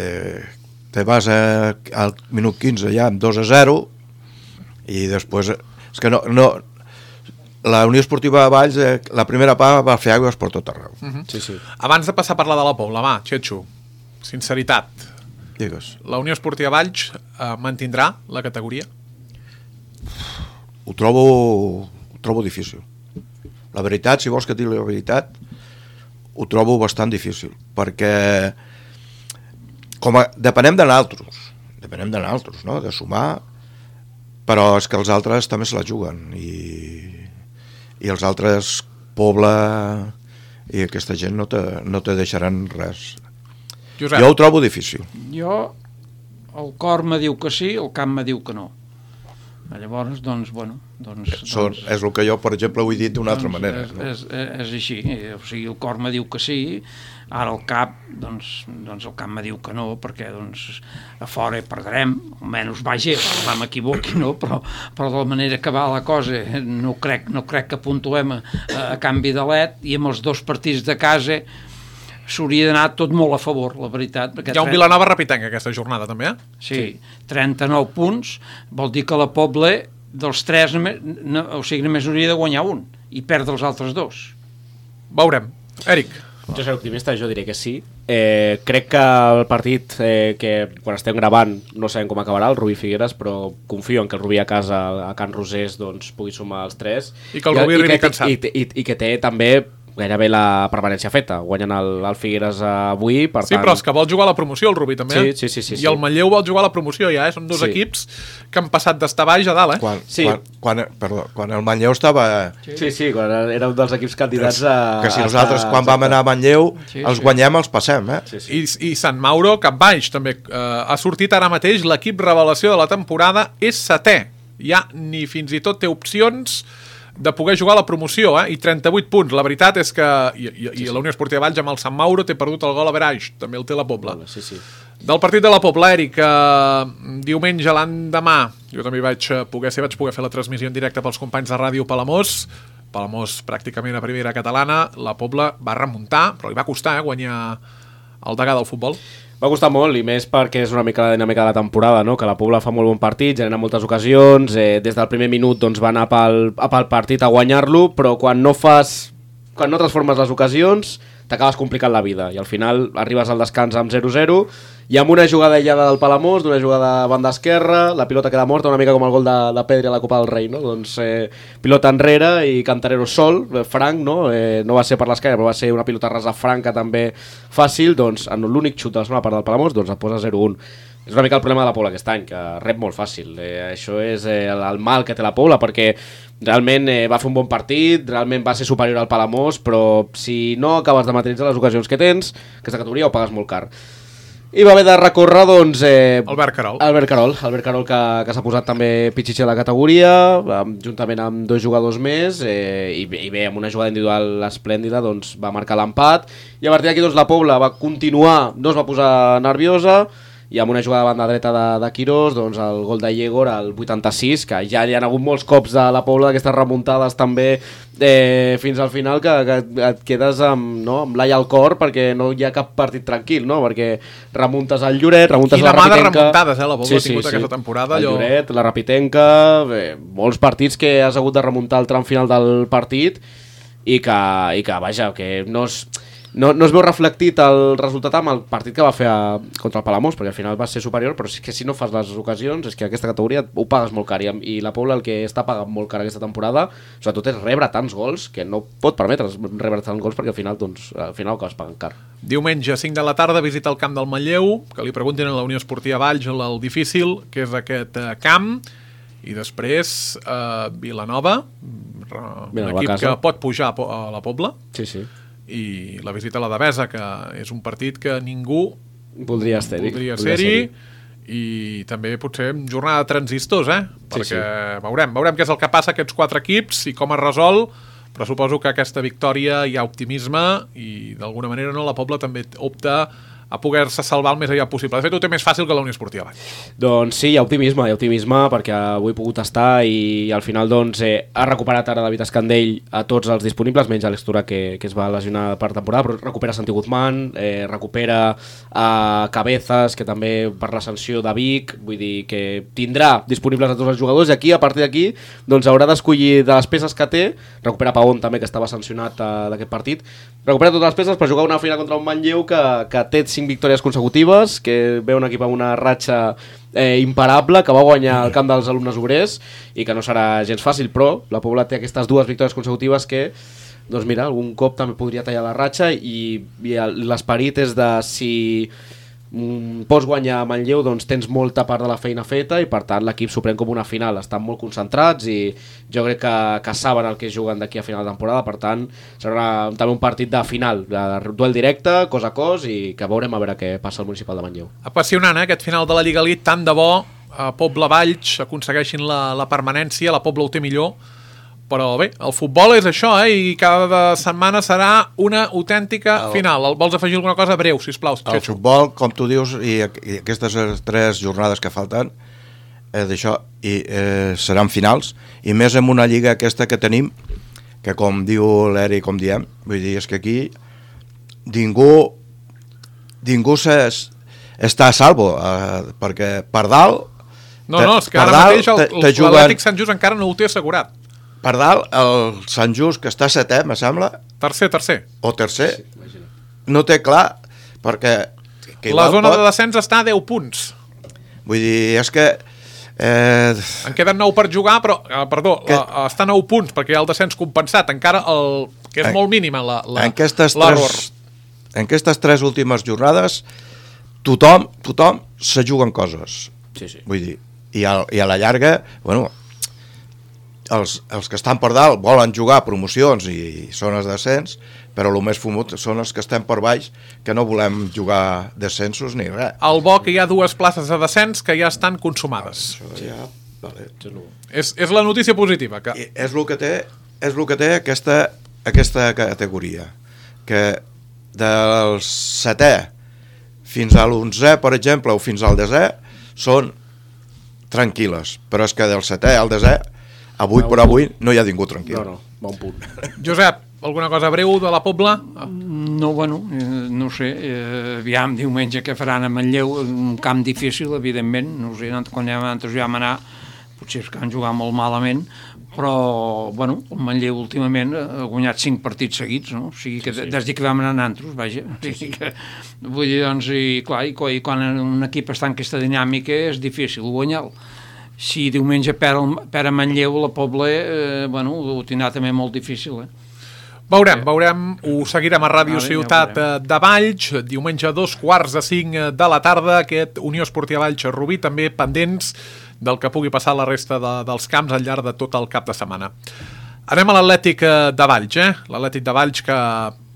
te vas a, al minut quinze ja amb dos a zero, i després és que no, no la Unió Esportiva de Valls eh, la primera part va fer aigües per tot arreu. Uh -huh. Sí, sí. Abans de passar a parlar de la Pobla, va, Xetxu, sinceritat, Digues. la Unió Esportiva Valls eh, mantindrà la categoria? Ho trobo, ho trobo difícil. La veritat, si vols que et digui la veritat, ho trobo bastant difícil, perquè com a, depenem de nosaltres, depenem de nosaltres, no? De sumar, però és que els altres també se la juguen, i, i els altres, Pobla i aquesta gent no te, no te deixaran res. Josep. Jo ho trobo difícil. Jo, el cor me diu que sí, el camp me diu que no. Llavors, doncs, bueno... Doncs, Són, doncs, és el que jo, per exemple, ho he dit d'una altra doncs manera. És, No? és, és, és així, o sigui, el cor me diu que sí, ara el cap, doncs, doncs el cap me diu que no, perquè doncs, a fora perdrem, almenys vaja, va m'equivoqui, no? Però, però de la manera que va la cosa, no crec, no crec que puntuem a, a canvi de let, i amb els dos partits de casa s'hauria d'anar tot molt a favor, la veritat. Hi ha un Vilanova repitenc aquesta jornada, també, eh? Sí, trenta-nou punts, vol dir que la Pobla, dels tres, no, o sigui, només hauria de guanyar un, i perdre els altres dos. Veurem. Eric. Jo seré optimista, jo diré que sí. Eh, crec que el partit, eh, que quan estem gravant no sabem com acabarà, el Rubí Figueres, però confio en que el Rubí a casa, a Can Rosés, doncs, pugui sumar els tres. I que el Rubí arribi cansat. I, i, i, I que té també gairebé la permanència feta, guanyen el, el Figueres avui, per sí, tant... però és que vol jugar a la promoció el Rubí també, sí, eh? sí, sí, sí, i el sí. Manlleu vol jugar a la promoció ja, eh? Són dos Sí. equips que han passat d'estar baix a dalt, eh? Quan, Sí. quan, quan, perdó, quan el Manlleu estava... Sí, sí, quan era un dels equips candidats a... Que si a nosaltres estar- quan vam anar a Manlleu Sí, els sí. guanyem, els passem, eh? Sí, sí. I, i Sant Mauro cap baix també eh, ha sortit ara mateix l'equip revelació de la temporada, és setè, ja ni fins i tot té opcions de poder jugar a la promoció, eh? I trenta-vuit punts, la veritat és que i, i, i la Unió Esportiva Valls amb el Sant Mauro té perdut el gol a Veraix, també el té la Pobla. Sí, sí. Del partit de la Pobla, Eric, eh, diumenge l'endemà, jo també vaig poder ser, vaig poder fer la transmissió en directe pels companys de Ràdio Palamós, Palamós pràcticament a primera catalana, la Pobla va remuntar, però li va costar eh, guanyar el degà del futbol. Va costar molt, i més perquè és una mica la dinàmica de la temporada, no? Que la Pobla fa molt bon partit, genera moltes ocasions, eh, des del primer minut doncs, va anar pel, pel partit a guanyar-lo, però quan no fas, quan no transformes les ocasions, t'acabes complicant la vida, i al final arribes al descans amb zero zero, i amb una jugada aïllada del Palamós, d'una jugada a banda esquerra, la pilota queda morta, una mica com el gol de, de Pedri a la Copa del Rei, no? Doncs eh, pilota enrere i Cantarero sol, eh, franc, no? Eh, no va ser per l'esquerra, però va ser una pilota rasa franca també fàcil, doncs en l'únic xut de la segona part del Palamós, doncs et posa zero un. És una mica el problema de la Pobla aquest any, que rep molt fàcil. Eh, això és eh, el, el mal que té la Pobla, perquè realment eh, va fer un bon partit, realment va ser superior al Palamós, però si no acabes de materialitzar les ocasions que tens, aquesta categoria ho pagues molt car. I va haver de recórrer, doncs... Eh, Albert Carol. Albert Carol, Albert Carol que, que s'ha posat també pitxitxer a la categoria, amb, juntament amb dos jugadors més, eh, i, i bé, amb una jugada individual esplèndida, doncs va marcar l'empat, i a partir d'aquí doncs, la Pobla va continuar, no es va posar nerviosa, i amb una jugada de banda dreta de, de Quirós, doncs el gol de Yegor al vuitanta-sis, que ja hi ha hagut molts cops de la Pobla d'aquestes remuntades també eh, fins al final, que, que et quedes amb, no, amb l'ai al cor, perquè no hi ha cap partit tranquil, no? Perquè remuntes al Lloret, remuntes Quina la mà de Rapitenca... remuntades, eh, la Pobla ha tingut aquesta temporada, El allò- Lloret, la Rapitenca, bé, molts partits que has hagut de remuntar al tram final del partit i que, i que vaja, que no es... No, no es veu reflectit el resultat amb el partit que va fer a, contra el Palamós, perquè al final va ser superior, però és que si no fas les ocasions és que aquesta categoria ho pagues molt car, i, i la Pobla el que està pagant molt car aquesta temporada sobretot és rebre tants gols que no pot permetre's rebre tants gols, perquè al final doncs, al final ho acabes pagant car. Diumenge, cinc de la tarda, visita el camp del Manlleu, que li preguntin a la Unió Esportiva Valls el, el difícil que és aquest eh, camp, i després eh, Vilanova, un Vilanova equip a casa. que pot pujar a, Po- a la Pobla, Sí, sí. i la visita a la Devesa, que és un partit que ningú Voldria estar-hi. voldria ser-hi, i també potser jornada de transistors, eh? Perquè sí. veurem, veurem què és el que passa a aquests quatre equips i com es resol, però suposo que aquesta victòria hi ha optimisme i d'alguna manera no la Pobla també opta a poder-se salvar el més allà possible. De fet, ho té més fàcil que la Unió Esportiva Valls. Doncs sí, hi ha optimisme, hi ha optimisme perquè avui he pogut estar i al final doncs eh, ha recuperat ara David Escandell a tots els disponibles, menys Àlex Tura que, que es va lesionar per temporada, però recupera Santi Guzmán, eh, recupera a Cabezas, que també per la sanció de Vic, vull dir que tindrà disponibles a tots els jugadors, i aquí, a partir d'aquí, doncs haurà d'escollir de les peces que té, recupera Paón també, que estava sancionat eh, d'aquest partit, recupera totes les peces per jugar una final contra un Manlleu que, que té cinc victòries consecutives, que ve un equip amb una ratxa eh, imparable, que va guanyar el camp dels alumnes obrers i que no serà gens fàcil, però la Pobla té aquestes dues victòries consecutives que, doncs mira, algun cop també podria tallar la ratxa, i, i l'esperit és de si mm, pots guanyar a Manlleu, doncs tens molta part de la feina feta i per tant l'equip s'ho pren com una final, estan molt concentrats i jo crec que, que saben el que juguen d'aquí a final de temporada, per tant serà també un partit de final, de duel directe, cos a cos, i que veurem a veure què passa al Municipal de Manlleu. Apassionant, eh, aquest final de la Lliga Elite, tant de bo a Pobla Valls aconsegueixin la, la permanència, la Pobla ho té millor, però bé, el futbol és això, eh? I cada setmana serà una autèntica el... final. Vols afegir alguna cosa breu, sisplau? El futbol, com tu dius, i, i aquestes tres jornades que falten, eh, d'això, i eh, seran finals, i més en una lliga aquesta que tenim, que com diu l'Eri, com diem, vull dir, és que aquí ningú ningú s'es, està a salvo, eh, perquè per dalt... No, no, és que ara mateix l'Atlètic Sant Just encara no ho té assegurat. Per dalt, el Sant Just, que està setè, me sembla... Tercer, tercer. O tercer. Sí, no té clar, perquè... Que la zona pot... de descens està a deu punts. Vull dir, és que... Eh... En queden nou per jugar, però, eh, perdó, que... la, està a nou punts, perquè hi ha el descens compensat. Encara, el, que és en... molt mínima l'error. En aquestes tres, en aquestes tres últimes jornades, tothom, tothom se juguen coses. Sí, sí. Vull dir, i a, i a la llarga, bueno... Els, els que estan per dalt volen jugar promocions i zones de descens, però el més fumut són els que estem per baix, que no volem jugar descensos ni res. El bo que hi ha dues places de descens que ja estan consumades. Ah, això ja, vale. és, és la notícia positiva. Que... És el que té, és el que té aquesta, aquesta categoria, que del setè fins a l'onzè, per exemple, o fins al desè, són tranquil·les, però és que del setè al desè avui per avui no hi ha ningú tranquil. No, no, bon punt. Josep, alguna cosa breu de la Pobla? No, bueno, eh, no sé, eh, aviam, diumenge que faran a Manlleu, un camp difícil, evidentment, no sé, quan nosaltres ja vam anar, potser és que han jugat molt malament, però, bueno, el Manlleu últimament ha guanyat cinc partits seguits, no? O sigui que sí, sí. Des que vam anar a nosaltres, vaja, sí, sí. Que, vull dir, doncs, i clar, i quan un equip està en aquesta dinàmica és difícil guanyar-lo. Si diumenge per, per a Manlleu la Pobla, eh, bueno, ho tindrà també molt difícil, eh? Veurem, veurem, ho seguirem a Ràdio vale, Ciutat ja de Valls, diumenge a dos quarts de cinc de la tarda, aquest Unió Esportiva Valls Rubí, també pendents del que pugui passar la resta de, dels camps al llarg de tot el cap de setmana. Anem a l'Atlètic de Valls, eh? L'Atlètic de Valls que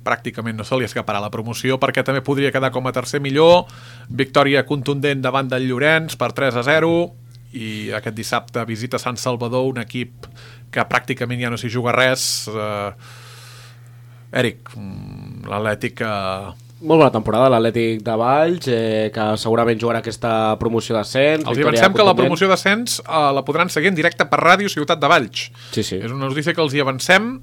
pràcticament no se li escaparà la promoció perquè també podria quedar com a tercer millor, victòria contundent davant del Llorenç per tres a zero, i aquest dissabte visita Sant Salvador, un equip que pràcticament ja no s'hi juga res. eh, Eric, l'Atlètic eh... molt bona temporada l'Atlètic de Valls, eh, que segurament jugarà aquesta promoció d'ascens. Els avancem que la promoció d'ascens eh, la podran seguir en directe per Ràdio Ciutat de Valls. Sí, sí. És una notícia que els hi avancem.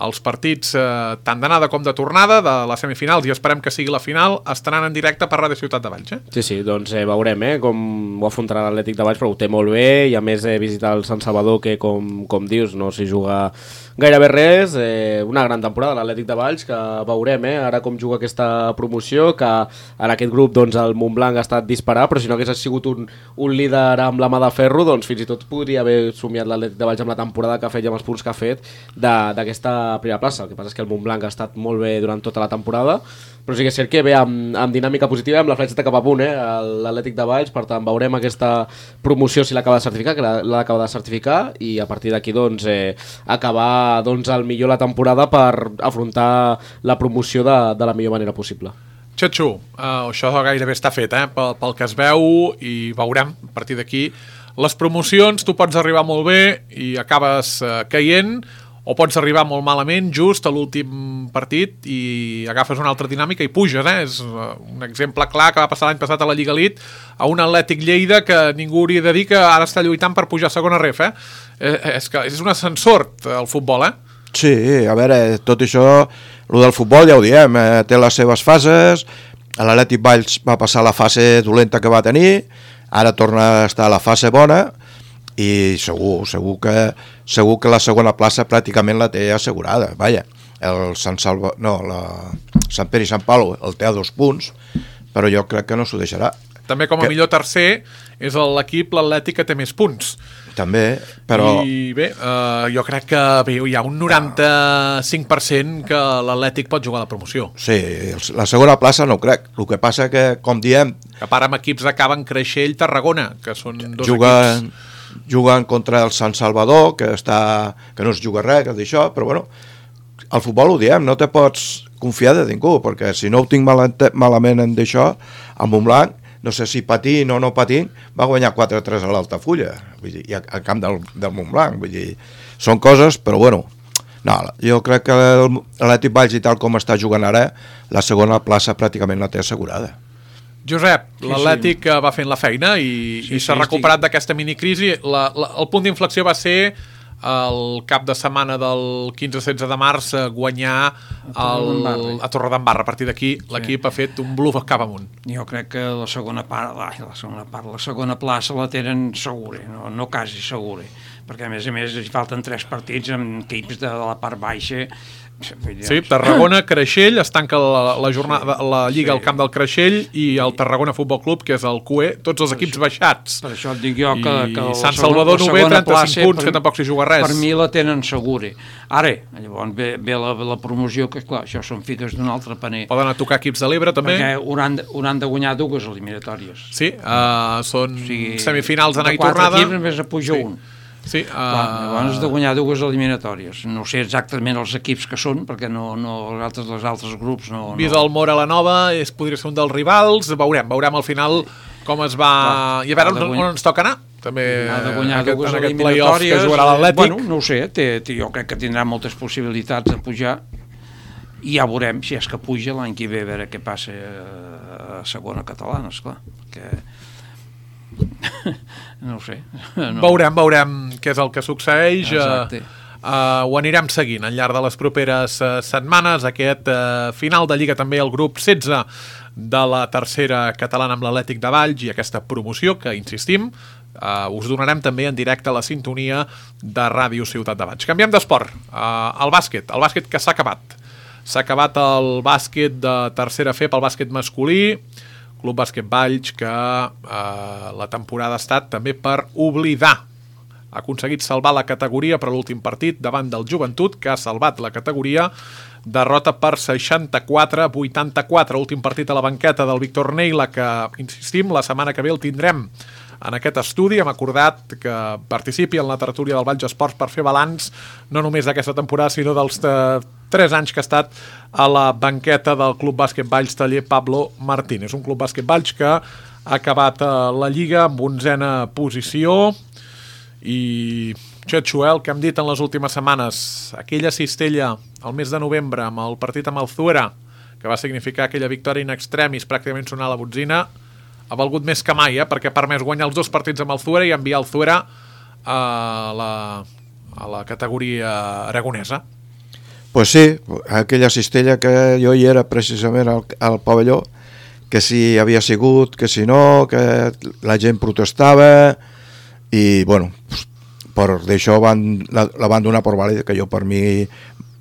Els partits, eh, tant d'anada com de tornada, de les semifinals, i esperem que sigui la final, estaran en directe per Ràdio Ciutat de Valls. Eh? Sí, sí, doncs eh, veurem eh, com ho afrontarà l'Atlètic de Valls, però ho té molt bé, i a més eh, visitar el Sant Salvador, que com, com dius, no s'hi juga gairebé res. Eh, una gran temporada l'Atlètic de Valls, que veurem eh, ara com juga aquesta promoció, que en aquest grup doncs, el Montblanc ha estat disparar, però si no hagués sigut un, un líder amb la mà de ferro, doncs fins i tot podria haver somiat l'Atlètic de Valls amb la temporada que ha fet i amb els punts que ha fet d'aquesta primera plaça. El que passa és que el Montblanc ha estat molt bé durant tota la temporada, però sí que és cert que ve amb, amb dinàmica positiva, amb la fletxeta cap a punt, eh, l'Atlètic de Valls. Per tant, veurem aquesta promoció si l'acaba de certificar, que l'ha d'acaba de certificar, i a partir d'aquí doncs, eh, acabar doncs, al millor la temporada per afrontar la promoció de, de la millor manera possible. Xatxu, uh, això gairebé està fet, eh, pel, pel que es veu, i veurem a partir d'aquí. Les promocions, tu pots arribar molt bé i acabes uh, caient, o pots arribar molt malament just a l'últim partit i agafes una altra dinàmica i puges, eh? És un exemple clar que va passar l'any passat a la Lliga Elite a un Atlètic Lleida que ningú hauria de dir que ara està lluitant per pujar a segona ref, eh? eh és que és un ascensor el futbol, eh? Sí, a veure, tot això, el del futbol ja ho diem, eh, té les seves fases. L'Atlètic Valls va passar la fase dolenta que va tenir, ara torna a estar a la fase bona, i segur, segur que segur que la segona plaça pràcticament la té assegurada. Vaja, el Sant Salva, no, la Sant Pere i Sant Pau el té a dos punts, però jo crec que no s'ho deixarà. També com a que... millor tercer és l'equip, l'Atlètic, que té més punts. També, però... I bé, uh, jo crec que bé, hi ha un noranta-cinc per cent que l'Atlètic pot jugar a la promoció. Sí, la segona plaça no ho crec. El que passa que, com diem... A part amb equips acaben Creixell, Tarragona, que són dos juguen, equips... Juguen contra el Sant Salvador, que, està, que no es juga res, que d'això, però bueno, al futbol ho diem, no te pots confiar de ningú, perquè si no ho tinc mal, malament en d'això, el Montblanc, no sé si patint o no patint, va guanyar quatre a tres a l'Altafulla, vull dir, i al camp del, del Montblanc, vull dir, són coses, però bueno, no, jo crec que l'Atlètic Valls i tal com està jugant ara, la segona plaça pràcticament la té assegurada. Josep, sí, l'Atlètic sí. va fent la feina i, sí, i s'ha sí, recuperat estic... d'aquesta minicrisi. La, la, el punt d'inflexió va ser el cap de setmana del quinze setze de març guanyar el, a Torredembarra. A partir d'aquí sí. l'equip ha fet un bluff cap amunt. Jo crec que la segona part, la segona part, la segona plaça la tenen segura, no, no quasi segura, perquè a més a més hi falten tres partits amb equips de la part baixa. Sí, Tarragona, Creixell, es tanca la, la, jornada, la Lliga al camp del Creixell i el Tarragona Futbol Club, que és el Q E, tots els equips baixats. Per això et dic jo que, que I Sant Salvador Nové, trenta-cinc punts, que tampoc s'hi juga res. Per mi la tenen segura. Ara, llavors ve, ve la, la promoció, que clar, això són fites d'un altre paner. Poden a tocar equips de l'Ebre també. Perquè hauran, hauran de guanyar dues eliminatòries. Sí, uh, són o sigui, semifinals d'anar i tornada. De quatre equips només a puja sí. un. Sí, uh... Clar, llavors has de guanyar dues eliminatòries. No sé exactament els equips que són, perquè no, no els altres, els altres grups no... Vist no... el Mora la Nova, és, podria ser un dels rivals, veurem, veurem al final com es va... Clar, i a veure on, on ens toca anar. També ha de guanyar aquest, dues en aquest play-off que jugarà l'Atlètic. Bueno, no ho sé, té, té, jo crec que tindrà moltes possibilitats de pujar i ja veurem si és que puja l'any que ve, a veure què passa a segona catalana, esclar, perquè... no ho sé. No. Veurem, veurem què és el que succeeix. Exacte. Uh, uh, ho anirem seguint al llarg de les properes uh, setmanes. Aquest uh, final de Lliga també el grup setze de la tercera catalana amb l'Atlètic de Valls i aquesta promoció que, insistim, uh, us donarem també en directe a la sintonia de Ràdio Ciutat de Valls. Canviem d'esport. Uh, el bàsquet, el bàsquet que s'ha acabat. S'ha acabat el bàsquet de tercera F pel bàsquet masculí. Club Bàsquet Valls, que eh, la temporada ha estat també per oblidar. Ha aconseguit salvar la categoria per l'últim partit davant del Joventut, que ha salvat la categoria. Derrota per seixanta-quatre a vuitanta-quatre. Últim partit a la banqueta del Víctor Neila, que, insistim, la setmana que ve el tindrem en aquest estudi. Hem acordat que participi en la tertúlia del Valls Esports per fer balanç no només d'aquesta temporada, sinó dels eh, tres anys que ha estat a la banqueta del Club Bàsquet Valls taller Pablo Martínez. Un Club Bàsquet Valls que ha acabat a la Lliga amb onzena posició i Xetxuel, que hem dit en les últimes setmanes, aquella cistella al mes de novembre amb el partit amb el Zuera, que va significar aquella victòria in extremis, pràcticament sonar la botzina, ha valgut més que mai, eh? Perquè ha permès guanyar els dos partits amb el Zuera i enviar el Zuera a la, a la categoria aragonesa. Pues sí, aquella cistella que jo hi era precisament al, al pavelló, que si havia sigut, que si no, que la gent protestava i, bueno, per d'això van, la, la van donar per vàlida, que jo per mi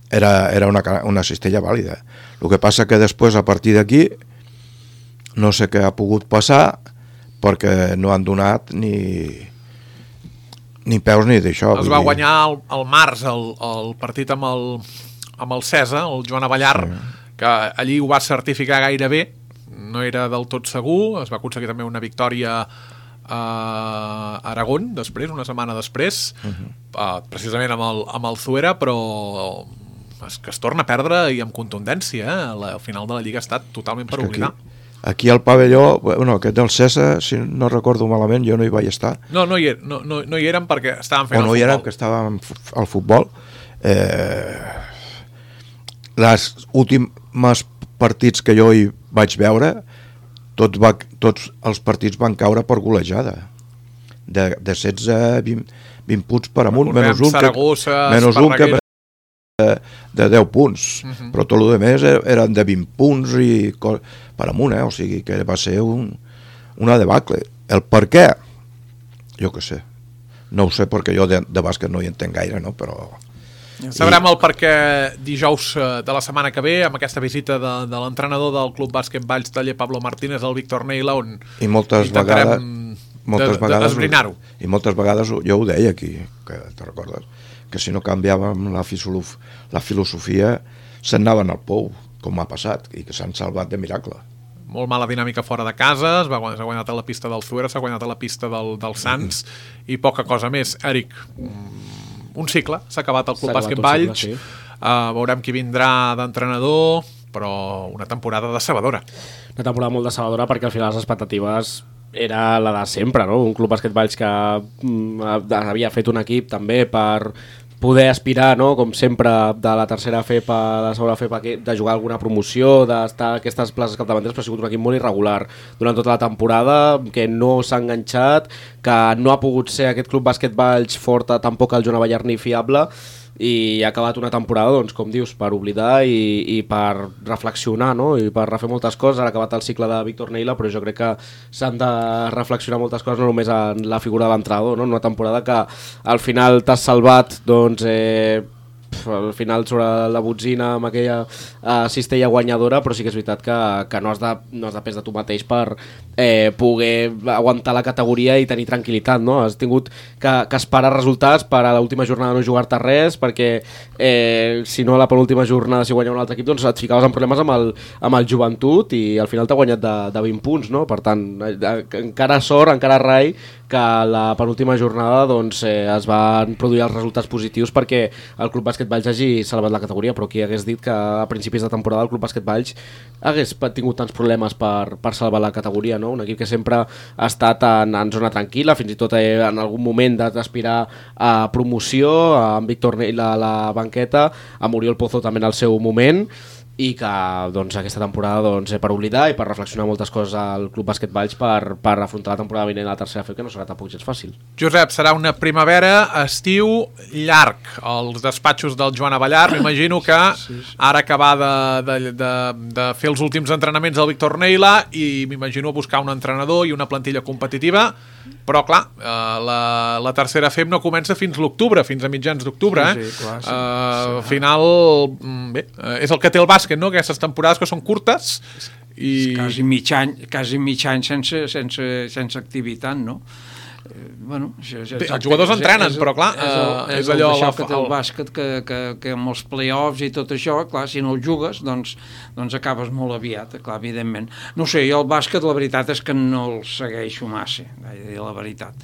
era, era una, una cistella vàlida. El que passa que després, a partir d'aquí, no sé què ha pogut passar, perquè no han donat ni, ni peus ni d'això. Es va guanyar el, el març el, el partit amb el, amb el Cesa, el Joan Avellar, sí. Que allí ho va certificar gairebé, no era del tot segur, es va aconseguir també una victòria a Aragón després, una setmana després, uh-huh. uh, precisament amb el, amb el Zuera, però es, que es torna a perdre i amb contundència, eh? La, el final de la Lliga ha estat totalment per oblidar. Aquí, aquí al pavelló, bueno, aquest del Cesa, si no recordo malament, jo no hi vaig estar. No, no hi, er, no, no, no hi érem perquè estàvem fent o no el futbol. hi érem, que estàvem al futbol. Eh, les últimes partits que jo hi vaig veure, tots, va, tots els partits van caure per golejada. De, de setze a vint, vint punts per amunt, menys un, Saragossa, que, menys un que de, de deu punts. Uh-huh. Però tot el més eren de vint punts i per amunt, eh? O sigui que va ser un, una debacle. El per què? Jo què sé. No ho sé perquè jo de, de bàsquet no hi entenc gaire, no? Però Sabrem el perquè dijous de la setmana que ve, amb aquesta visita de, de l'entrenador del Club Bàsquet Valls Taller Pablo Martínez, el Víctor Neila, on I moltes intentarem vegades, moltes de, vegades d'esbrinar-ho. I moltes vegades jo ho deia aquí, que te recordes, que si no canviàvem la, filosof, la filosofia se'n anaven al pou, com ha passat, i que s'han salvat de miracle. Molt mala dinàmica fora de casa, s'ha guanyat a la pista del Zuera, s'ha guanyat a la pista del, del Sants, mm. i poca cosa més. Eric, un cicle, s'ha acabat el Club Bàsquet Valls, sí. uh, veurem qui vindrà d'entrenador, però una temporada decebedora. Una temporada molt decebedora perquè al final les expectatives era la de sempre, no? Un Club Bàsquet Valls que mm, havia fet un equip també per poder aspirar, no? Com sempre, de la tercera F E P a la segona F E P, de jugar alguna promoció, d'estar a aquestes places capdavanteres, però ha sigut un equip molt irregular durant tota la temporada, que no s'ha enganxat, que no ha pogut ser aquest Club Bàsquet Valls fort, tampoc el Joan Avellar ni fiable, i ha acabat una temporada, doncs, com dius, per oblidar i, i per reflexionar, no? I per refer moltes coses. Ha acabat el cicle de Víctor Neila, però jo crec que s'han de reflexionar moltes coses, no només en la figura de l'entrenador, no? Una temporada que al final t'has salvat, doncs, eh, al final sobre la botzina amb aquella uh, cistella guanyadora, però sí que és veritat que, que no has de, no has de pes de tu mateix per eh, poder aguantar la categoria i tenir tranquil·litat, no? Has tingut que, que esperar resultats per a l'última jornada no jugar-te res, perquè eh, si no a la penúltima jornada si guanya un altre equip, doncs et ficaves en problemes amb el, amb el Joventut i al final t'ha guanyat de, de vint punts, no? Per tant, eh, encara sort, encara rai que la penúltima jornada doncs, eh, es van produir els resultats positius perquè el Club Bàsquet Valls hagi salvat la categoria, però qui hagués dit que a principis de temporada el Club Bàsquet Valls hagués tingut tants problemes per, per salvar la categoria, no? Un equip que sempre ha estat en, en zona tranquil·la, fins i tot eh, en algun moment d'aspirar a promoció, amb Víctor Neila a la banqueta, amb Oriol Pozo també en el seu moment, i que doncs, aquesta temporada doncs, per oblidar i per reflexionar moltes coses al Club Bàsquet Valls per, per afrontar la temporada vinent a la tercera F E P, que no serà tampoc gens fàcil. Josep, serà una primavera, estiu llarg als despatxos del Joan Avellar. M'imagino que ara acabar de, de, de, de fer els últims entrenaments al Víctor Neila i m'imagino buscar un entrenador i una plantilla competitiva, però clar, la, la tercera F E P no comença fins l'octubre, fins a mitjans d'octubre. Sí, sí, clar, sí, uh, sí. Al final, bé, és el que té el bàsquet, no? Aquestes temporades que són curtes i... Quasi mig any, quasi mig any sense, sense, sense activitat, no? Eh, bueno, això, Bé, els jugadors entrenen, és, però clar, és, el, és, és allò... el, La, que té el bàsquet, que, que, que amb els play-offs i tot això, clar, si no el jugues, doncs, doncs acabes molt aviat, clar, evidentment. No sé, jo el bàsquet, la veritat és que no el segueixo massa, la veritat.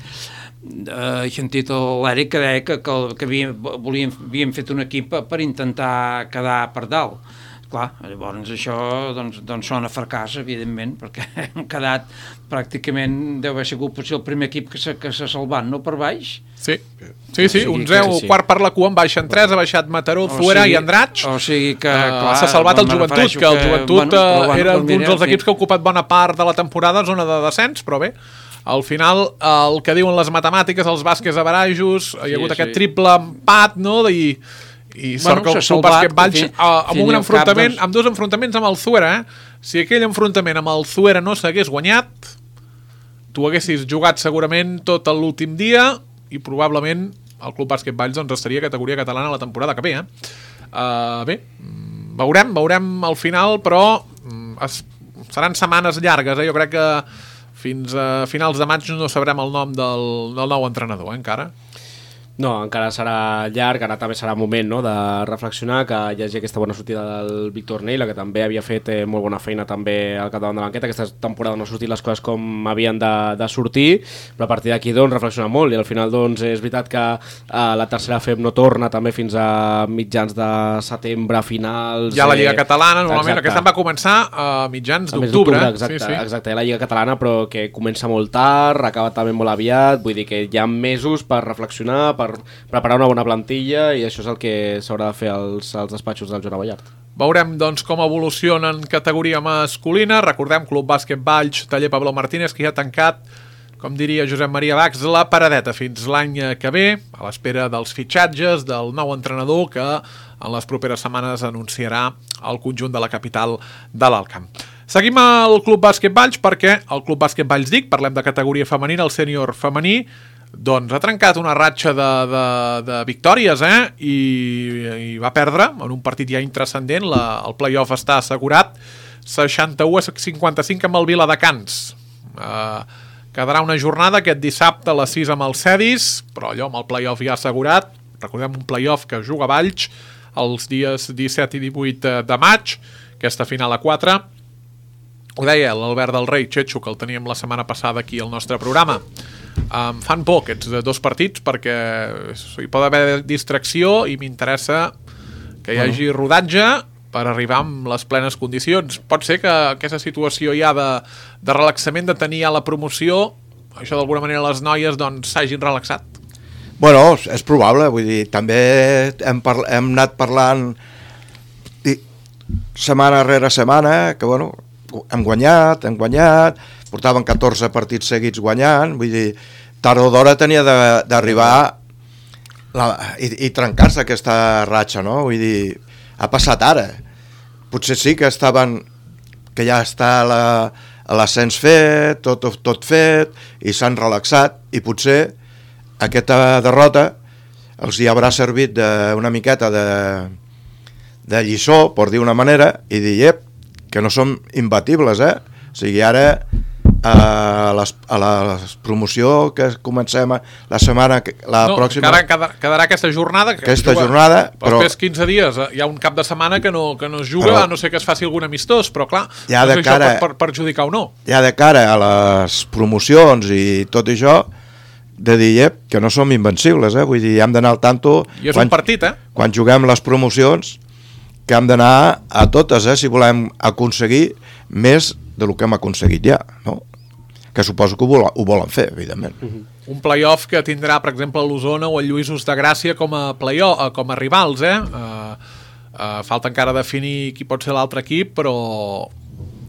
He sentit l'Eric que deia que, que, que havien, volien, havien fet un equip per intentar quedar per dalt. Clar, llavors això doncs, doncs sona fracàs, evidentment, perquè hem quedat pràcticament, deu haver sigut potser el primer equip que s'ha que salvat, no, per baix? Sí, sí, sí, un zero, sí, sí. Quart per la cua, en baixen tres, ha baixat Mataró, Zuera i Andratx. O sigui que, clar... S'ha salvat el Joventut, que el Joventut bueno, bueno, era un dels equips que ha ocupat bona part de la temporada a zona de descens, però bé, al final, el que diuen les matemàtiques, els bàsquets averajos, hi ha hagut sí, aquest sí. triple empat, no?, i... i sort bueno, que el Club Bàsquet Valls fi, amb un enfrontament, doncs... amb dos enfrontaments amb el Zuera, eh? Si aquell enfrontament amb el Zuera no s'hagués guanyat, tu haguessis jugat segurament tot l'últim dia i probablement el Club Bàsquet Valls doncs, estaria a categoria catalana la temporada que ve, eh? Uh, bé, veurem, veurem al final, però es, seran setmanes llargues, eh? Jo crec que fins a finals de maig no sabrem el nom del, del nou entrenador, eh, encara. No, encara serà llarg, ara també serà moment, no?, de reflexionar, que hi hagi aquesta bona sortida del Víctor Neila, que també havia fet eh, molt bona feina també al capdavant de la banqueta. Aquesta temporada no han sortit les coses com havien de, de sortir, però a partir d'aquí doncs, reflexionar molt, i al final doncs, és veritat que eh, la tercera F E P no torna també fins a mitjans de setembre, finals... Ja la Lliga Catalana, normalment, aquesta va començar a mitjans d'octubre. Exacte, sí, sí. exacte, la Lliga Catalana, però que comença molt tard, acaba també molt aviat, vull dir que hi ha mesos per reflexionar, per per preparar una bona plantilla, i això és el que s'haurà de fer als, als despatxos del Joan Avellar. Veurem doncs, com evoluciona en categoria masculina. Recordem, Club Bàsquet Valls Taller Pablo Martínez, que ja ha tancat, com diria Josep Maria Bax, la paradeta fins l'any que ve, a l'espera dels fitxatges del nou entrenador que en les properes setmanes anunciarà el conjunt de la capital de l'Alt Camp. Seguim al Club Bàsquet Valls perquè el Club Bàsquet Valls dic, parlem de categoria femenina, el sènior femení, doncs ha trencat una ratxa de, de, de victòries, eh? I, i va perdre en un partit ja intrascendent, la, el play-off està assegurat, seixanta-u a cinquanta-cinc amb el Viladecans. Eh, quedarà una jornada aquest dissabte a les sis amb el Cedis, però allò amb el play-off ja assegurat. Recordem un play-off que juga a Valls els dies disset i divuit de maig, aquesta final a quatre. Ho deia l'Albert del Rei, Xetxo, que el teníem la setmana passada aquí al nostre programa. Em fan por aquests dos partits perquè hi pot haver distracció i m'interessa que hi hagi rodatge per arribar amb les plenes condicions. Pot ser que aquesta situació ja de, de relaxament, de tenir ja la promoció, això d'alguna manera les noies doncs s'hagin relaxat. Bueno, és probable, vull dir, també hem, parla, hem anat parlant i, setmana rere setmana, que bueno, hem guanyat, hem guanyat, portaven catorze partits seguits guanyant, vull dir, tard o d'hora tenia d'arribar i, i trencar-se aquesta ratxa, no? Vull dir, ha passat ara. Potser sí que estaven, que ja està l'ascens fet, tot, tot fet, i s'han relaxat, i potser aquesta derrota els hi haurà servit de, una miqueta de, de lliçó, per dir una manera, i dir, ep, que no som imbatibles, eh? O sigui, ara a, les, a la promoció que comencem la setmana, la no, pròxima... No, quedarà, quedarà aquesta jornada. Que aquesta juga, jornada, però... Després quinze dies hi ha un cap de setmana que no, que no es juga, però, a no sé que es faci algun amistós, però clar, ja no sé si cara, això pot per, perjudicar o no. Ja de cara a les promocions i tot això, de dir, ep, que no som invencibles, eh? Vull dir, hem d'anar al tanto... I és quan, un partit, eh? Quan juguem les promocions, que hem d'anar a totes, eh? Si volem aconseguir més del que hem aconseguit ja, no? Que suposo que ho, vol, ho volen fer, evidentment. Uh-huh. Un play-off que tindrà, per exemple, l'Osona o el Lluïsos de Gràcia com a play-off, com a rivals, eh? Uh, uh, falta encara definir qui pot ser l'altre equip, però...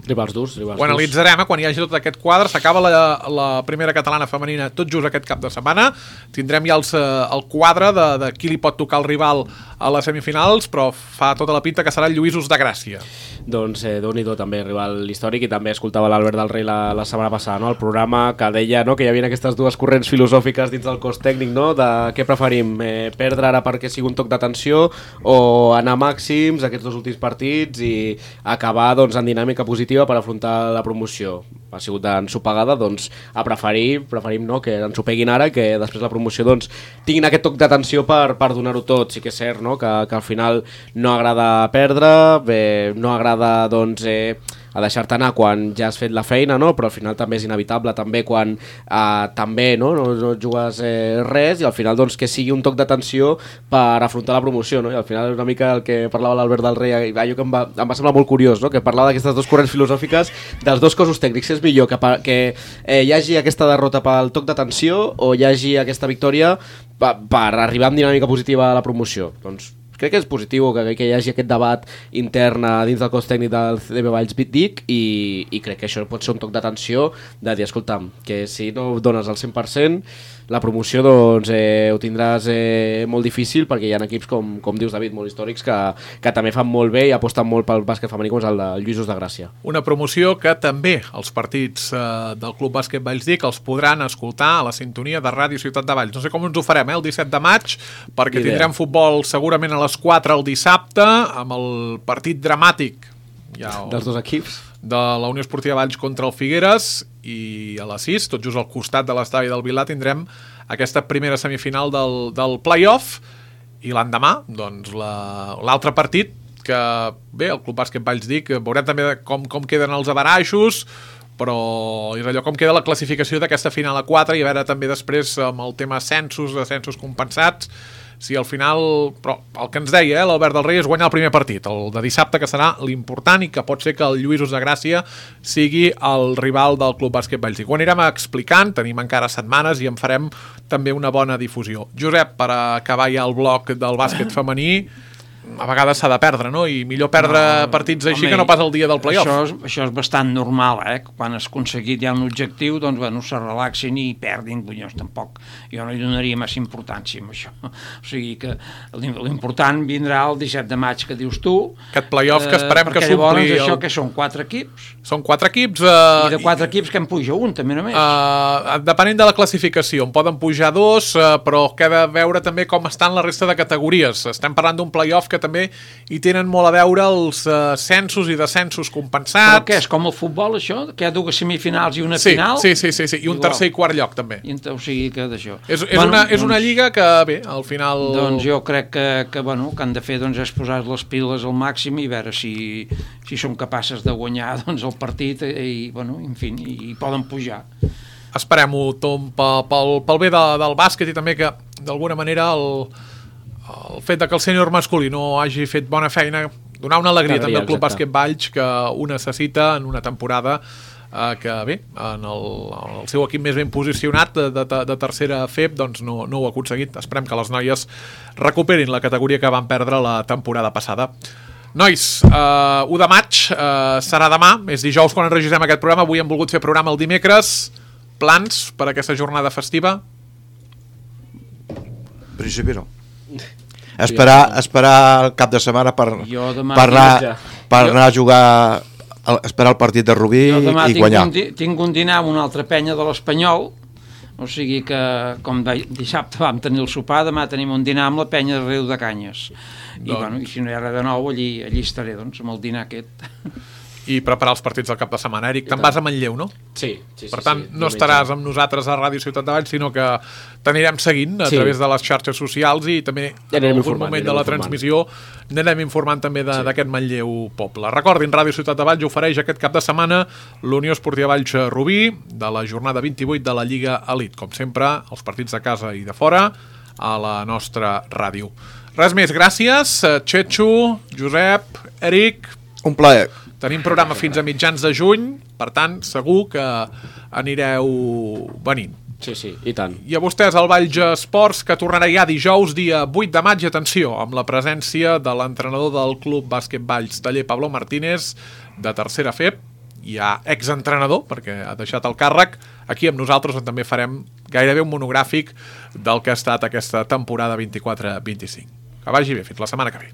Rivals durs, rivals ho analitzarem, eh? Quan hi hagi tot aquest quadre, s'acaba la, la primera catalana femenina tot just aquest cap de setmana, tindrem ja els, el quadre de, de qui li pot tocar el rival a les semifinals, però fa tota la pinta que serà el Lluïsos de Gràcia. Doncs eh, Déu-n'hi-do també, rival històric, i també escoltava l'Albert del Rei la, la setmana passada, no? El programa que deia, no?, que hi havia aquestes dues corrents filosòfiques dins del cos tècnic, no?, de què preferim, eh, perdre ara perquè sigui un toc d'atenció o anar màxims aquests dos últims partits i acabar doncs, en dinàmica positiva per afrontar la promoció. Ha sigut d'ensopegada, doncs a preferir, preferim no, que ens ho peguin ara, que després la promoció doncs, tinguin aquest toc d'atenció per, per donar-ho tot. Sí que és cert, no?, que, que al final no agrada perdre, bé, no agrada doncs, eh, a deixar-te anar quan ja has fet la feina, no? Però al final també és inevitable, també quan eh, també no, no, no jugues eh, res, i al final doncs, que sigui un toc d'atenció per afrontar la promoció, no? I al final una mica el que parlava l'Albert del Rei, allò que em va, em va semblar molt curiós, no? Que parlava d'aquestes dues corrents filosòfiques dels dos cossos tècnics. És millor que, que eh, hi hagi aquesta derrota pel toc d'atenció o hi hagi aquesta victòria per, per arribar amb dinàmica positiva a la promoció. Doncs crec que és positiu que, que hi hagi aquest debat intern dins del cos tècnic del C D B Valls Vic i, i crec que això pot ser un toc d'atenció de dir, escolta'm, que si no dones el cent per cent la promoció doncs eh, ho tindràs eh, molt difícil, perquè hi ha equips com, com dius David, molt històrics que, que també fan molt bé i aposten molt pel bàsquet femení, com és el de Lluïsos de Gràcia. Una promoció que també els partits eh, del Club Bàsquet Valls Vic els podran escoltar a la sintonia de Ràdio Ciutat de Valls. No sé com ens ho farem, eh, el disset de maig, perquè Idea. Tindrem futbol segurament a les quatre el dissabte, amb el partit dramàtic ja, el, dels dos equips de la Unió Esportiva Valls contra el Figueres, i a les sis, tot just al costat de l'estadi del Vilà, tindrem aquesta primera semifinal del, del play-off, i l'endemà, doncs, l'altre la, partit, que bé, el Club Bàsquet Valls Vic, veurem també com, com queden els averaixos, però és allò com queda la classificació d'aquesta final a quatre, i a veure també després amb el tema ascensos, ascensos compensats, si al final, però el que ens deia eh, l'Albert del Rei és guanyar el primer partit, el de dissabte, que serà l'important, i que pot ser que el Lluïsos de Gràcia sigui el rival del Club Bàsquet Valls Vic. Ho anirem explicant, tenim encara setmanes i en farem també una bona difusió. Josep, per acabar ja el bloc del bàsquet femení, a vegades s'ha de perdre, no? I millor perdre No, partits així home, que no pas el dia del play-off. Això és, això és bastant normal, eh? Quan has aconseguit ja un objectiu, doncs, bueno, se relaxin i perdin, bunyons, tampoc. Jo no hi donaria massa importància amb això. O sigui que l'important vindrà el disset de maig, que dius tu. Aquest play-off que esperem eh, que s'ompli... Llavors, el... això que són quatre equips. Són quatre equips... Eh, I de quatre equips que en puja un, també només. Uh, depenent de la classificació, en poden pujar dos, uh, però queda veure també com estan la resta de categories. Estem parlant d'un play-off que també hi tenen molt a veure els uh, censos i descensos compensats. Però què, és com el futbol, això? Que hi ha dues semifinals i una sí, final? Sí, sí, sí, sí, i un Igual. tercer i quart lloc, també. I, o sigui que d'això. És, és, bueno, una, és doncs, una lliga que, bé, al final... Doncs jo crec que, que, bueno, que han de fer doncs, és posar les piles al màxim i veure si, si són capaces de guanyar doncs, el partit i, bueno, en fi, i, i poden pujar. Esperem-ho, Tom, pel, pel bé de, del bàsquet i també que, d'alguna manera, el... el fet de que el sènior masculí no hagi fet bona feina, donar una alegria Cada també dia, al Club exacte. Bàsquet Valls, que ho necessita en una temporada eh, que, bé, en el, el seu equip més ben posicionat de, de, de tercera F E P doncs no, no ho ha aconseguit. Esperem que les noies recuperin la categoria que van perdre la temporada passada. Nois, eh, u de maig eh, serà demà, és dijous quan enregistrem aquest programa. Avui hem volgut fer programa el dimecres. Plans per aquesta jornada festiva? En principi no. Esperar, esperar el cap de setmana per, Jo demà per, anar, tinc- per jo- anar a jugar, el, esperar el partit de Rubí Jo demà i tinc guanyar. un, di- tinc un dinar amb una altra penya de l'Espanyol, o sigui que, com de, dissabte vam tenir el sopar, demà tenim un dinar amb la penya de Riu de Canyes. I, Doncs- bueno, i si no hi ha res de nou, allí, allí estaré, doncs, amb el dinar aquest. I preparar els partits del cap de setmana. Eric, te'n vas a Manlleu, no? Sí, sí, sí. Per tant, sí, no diumenge. estaràs amb nosaltres a Ràdio Ciutat de Valls, sinó que t'anirem seguint a Sí. través de les xarxes socials i també Ja en anirem algun informant, moment de anirem la informant. transmissió n'anem informant també de- d'aquest Manlleu poble. Recordin, Ràdio Ciutat de Valls ofereix aquest cap de setmana l'Unió Esportiva Valls Rubí de la jornada vint-i-vuit de la Lliga Elite. Com sempre, els partits de casa i de fora a la nostra ràdio. Res més, gràcies. Txetxo, Josep, Eric... Un plaer. Tenim programa fins a mitjans de juny, per tant, segur que anireu venint. Sí, sí, i tant. I a vostès, el Valls Esports, que tornarà ja dijous, dia vuit de maig, atenció, amb la presència de l'entrenador del Club Bàsquet Valls, taller Pablo Martínez, de tercera F E P, ja exentrenador, perquè ha deixat el càrrec, aquí amb nosaltres, on també farem gairebé un monogràfic del que ha estat aquesta temporada vint-i-quatre vint-i-cinc. Que vagi bé, fins la setmana que ve.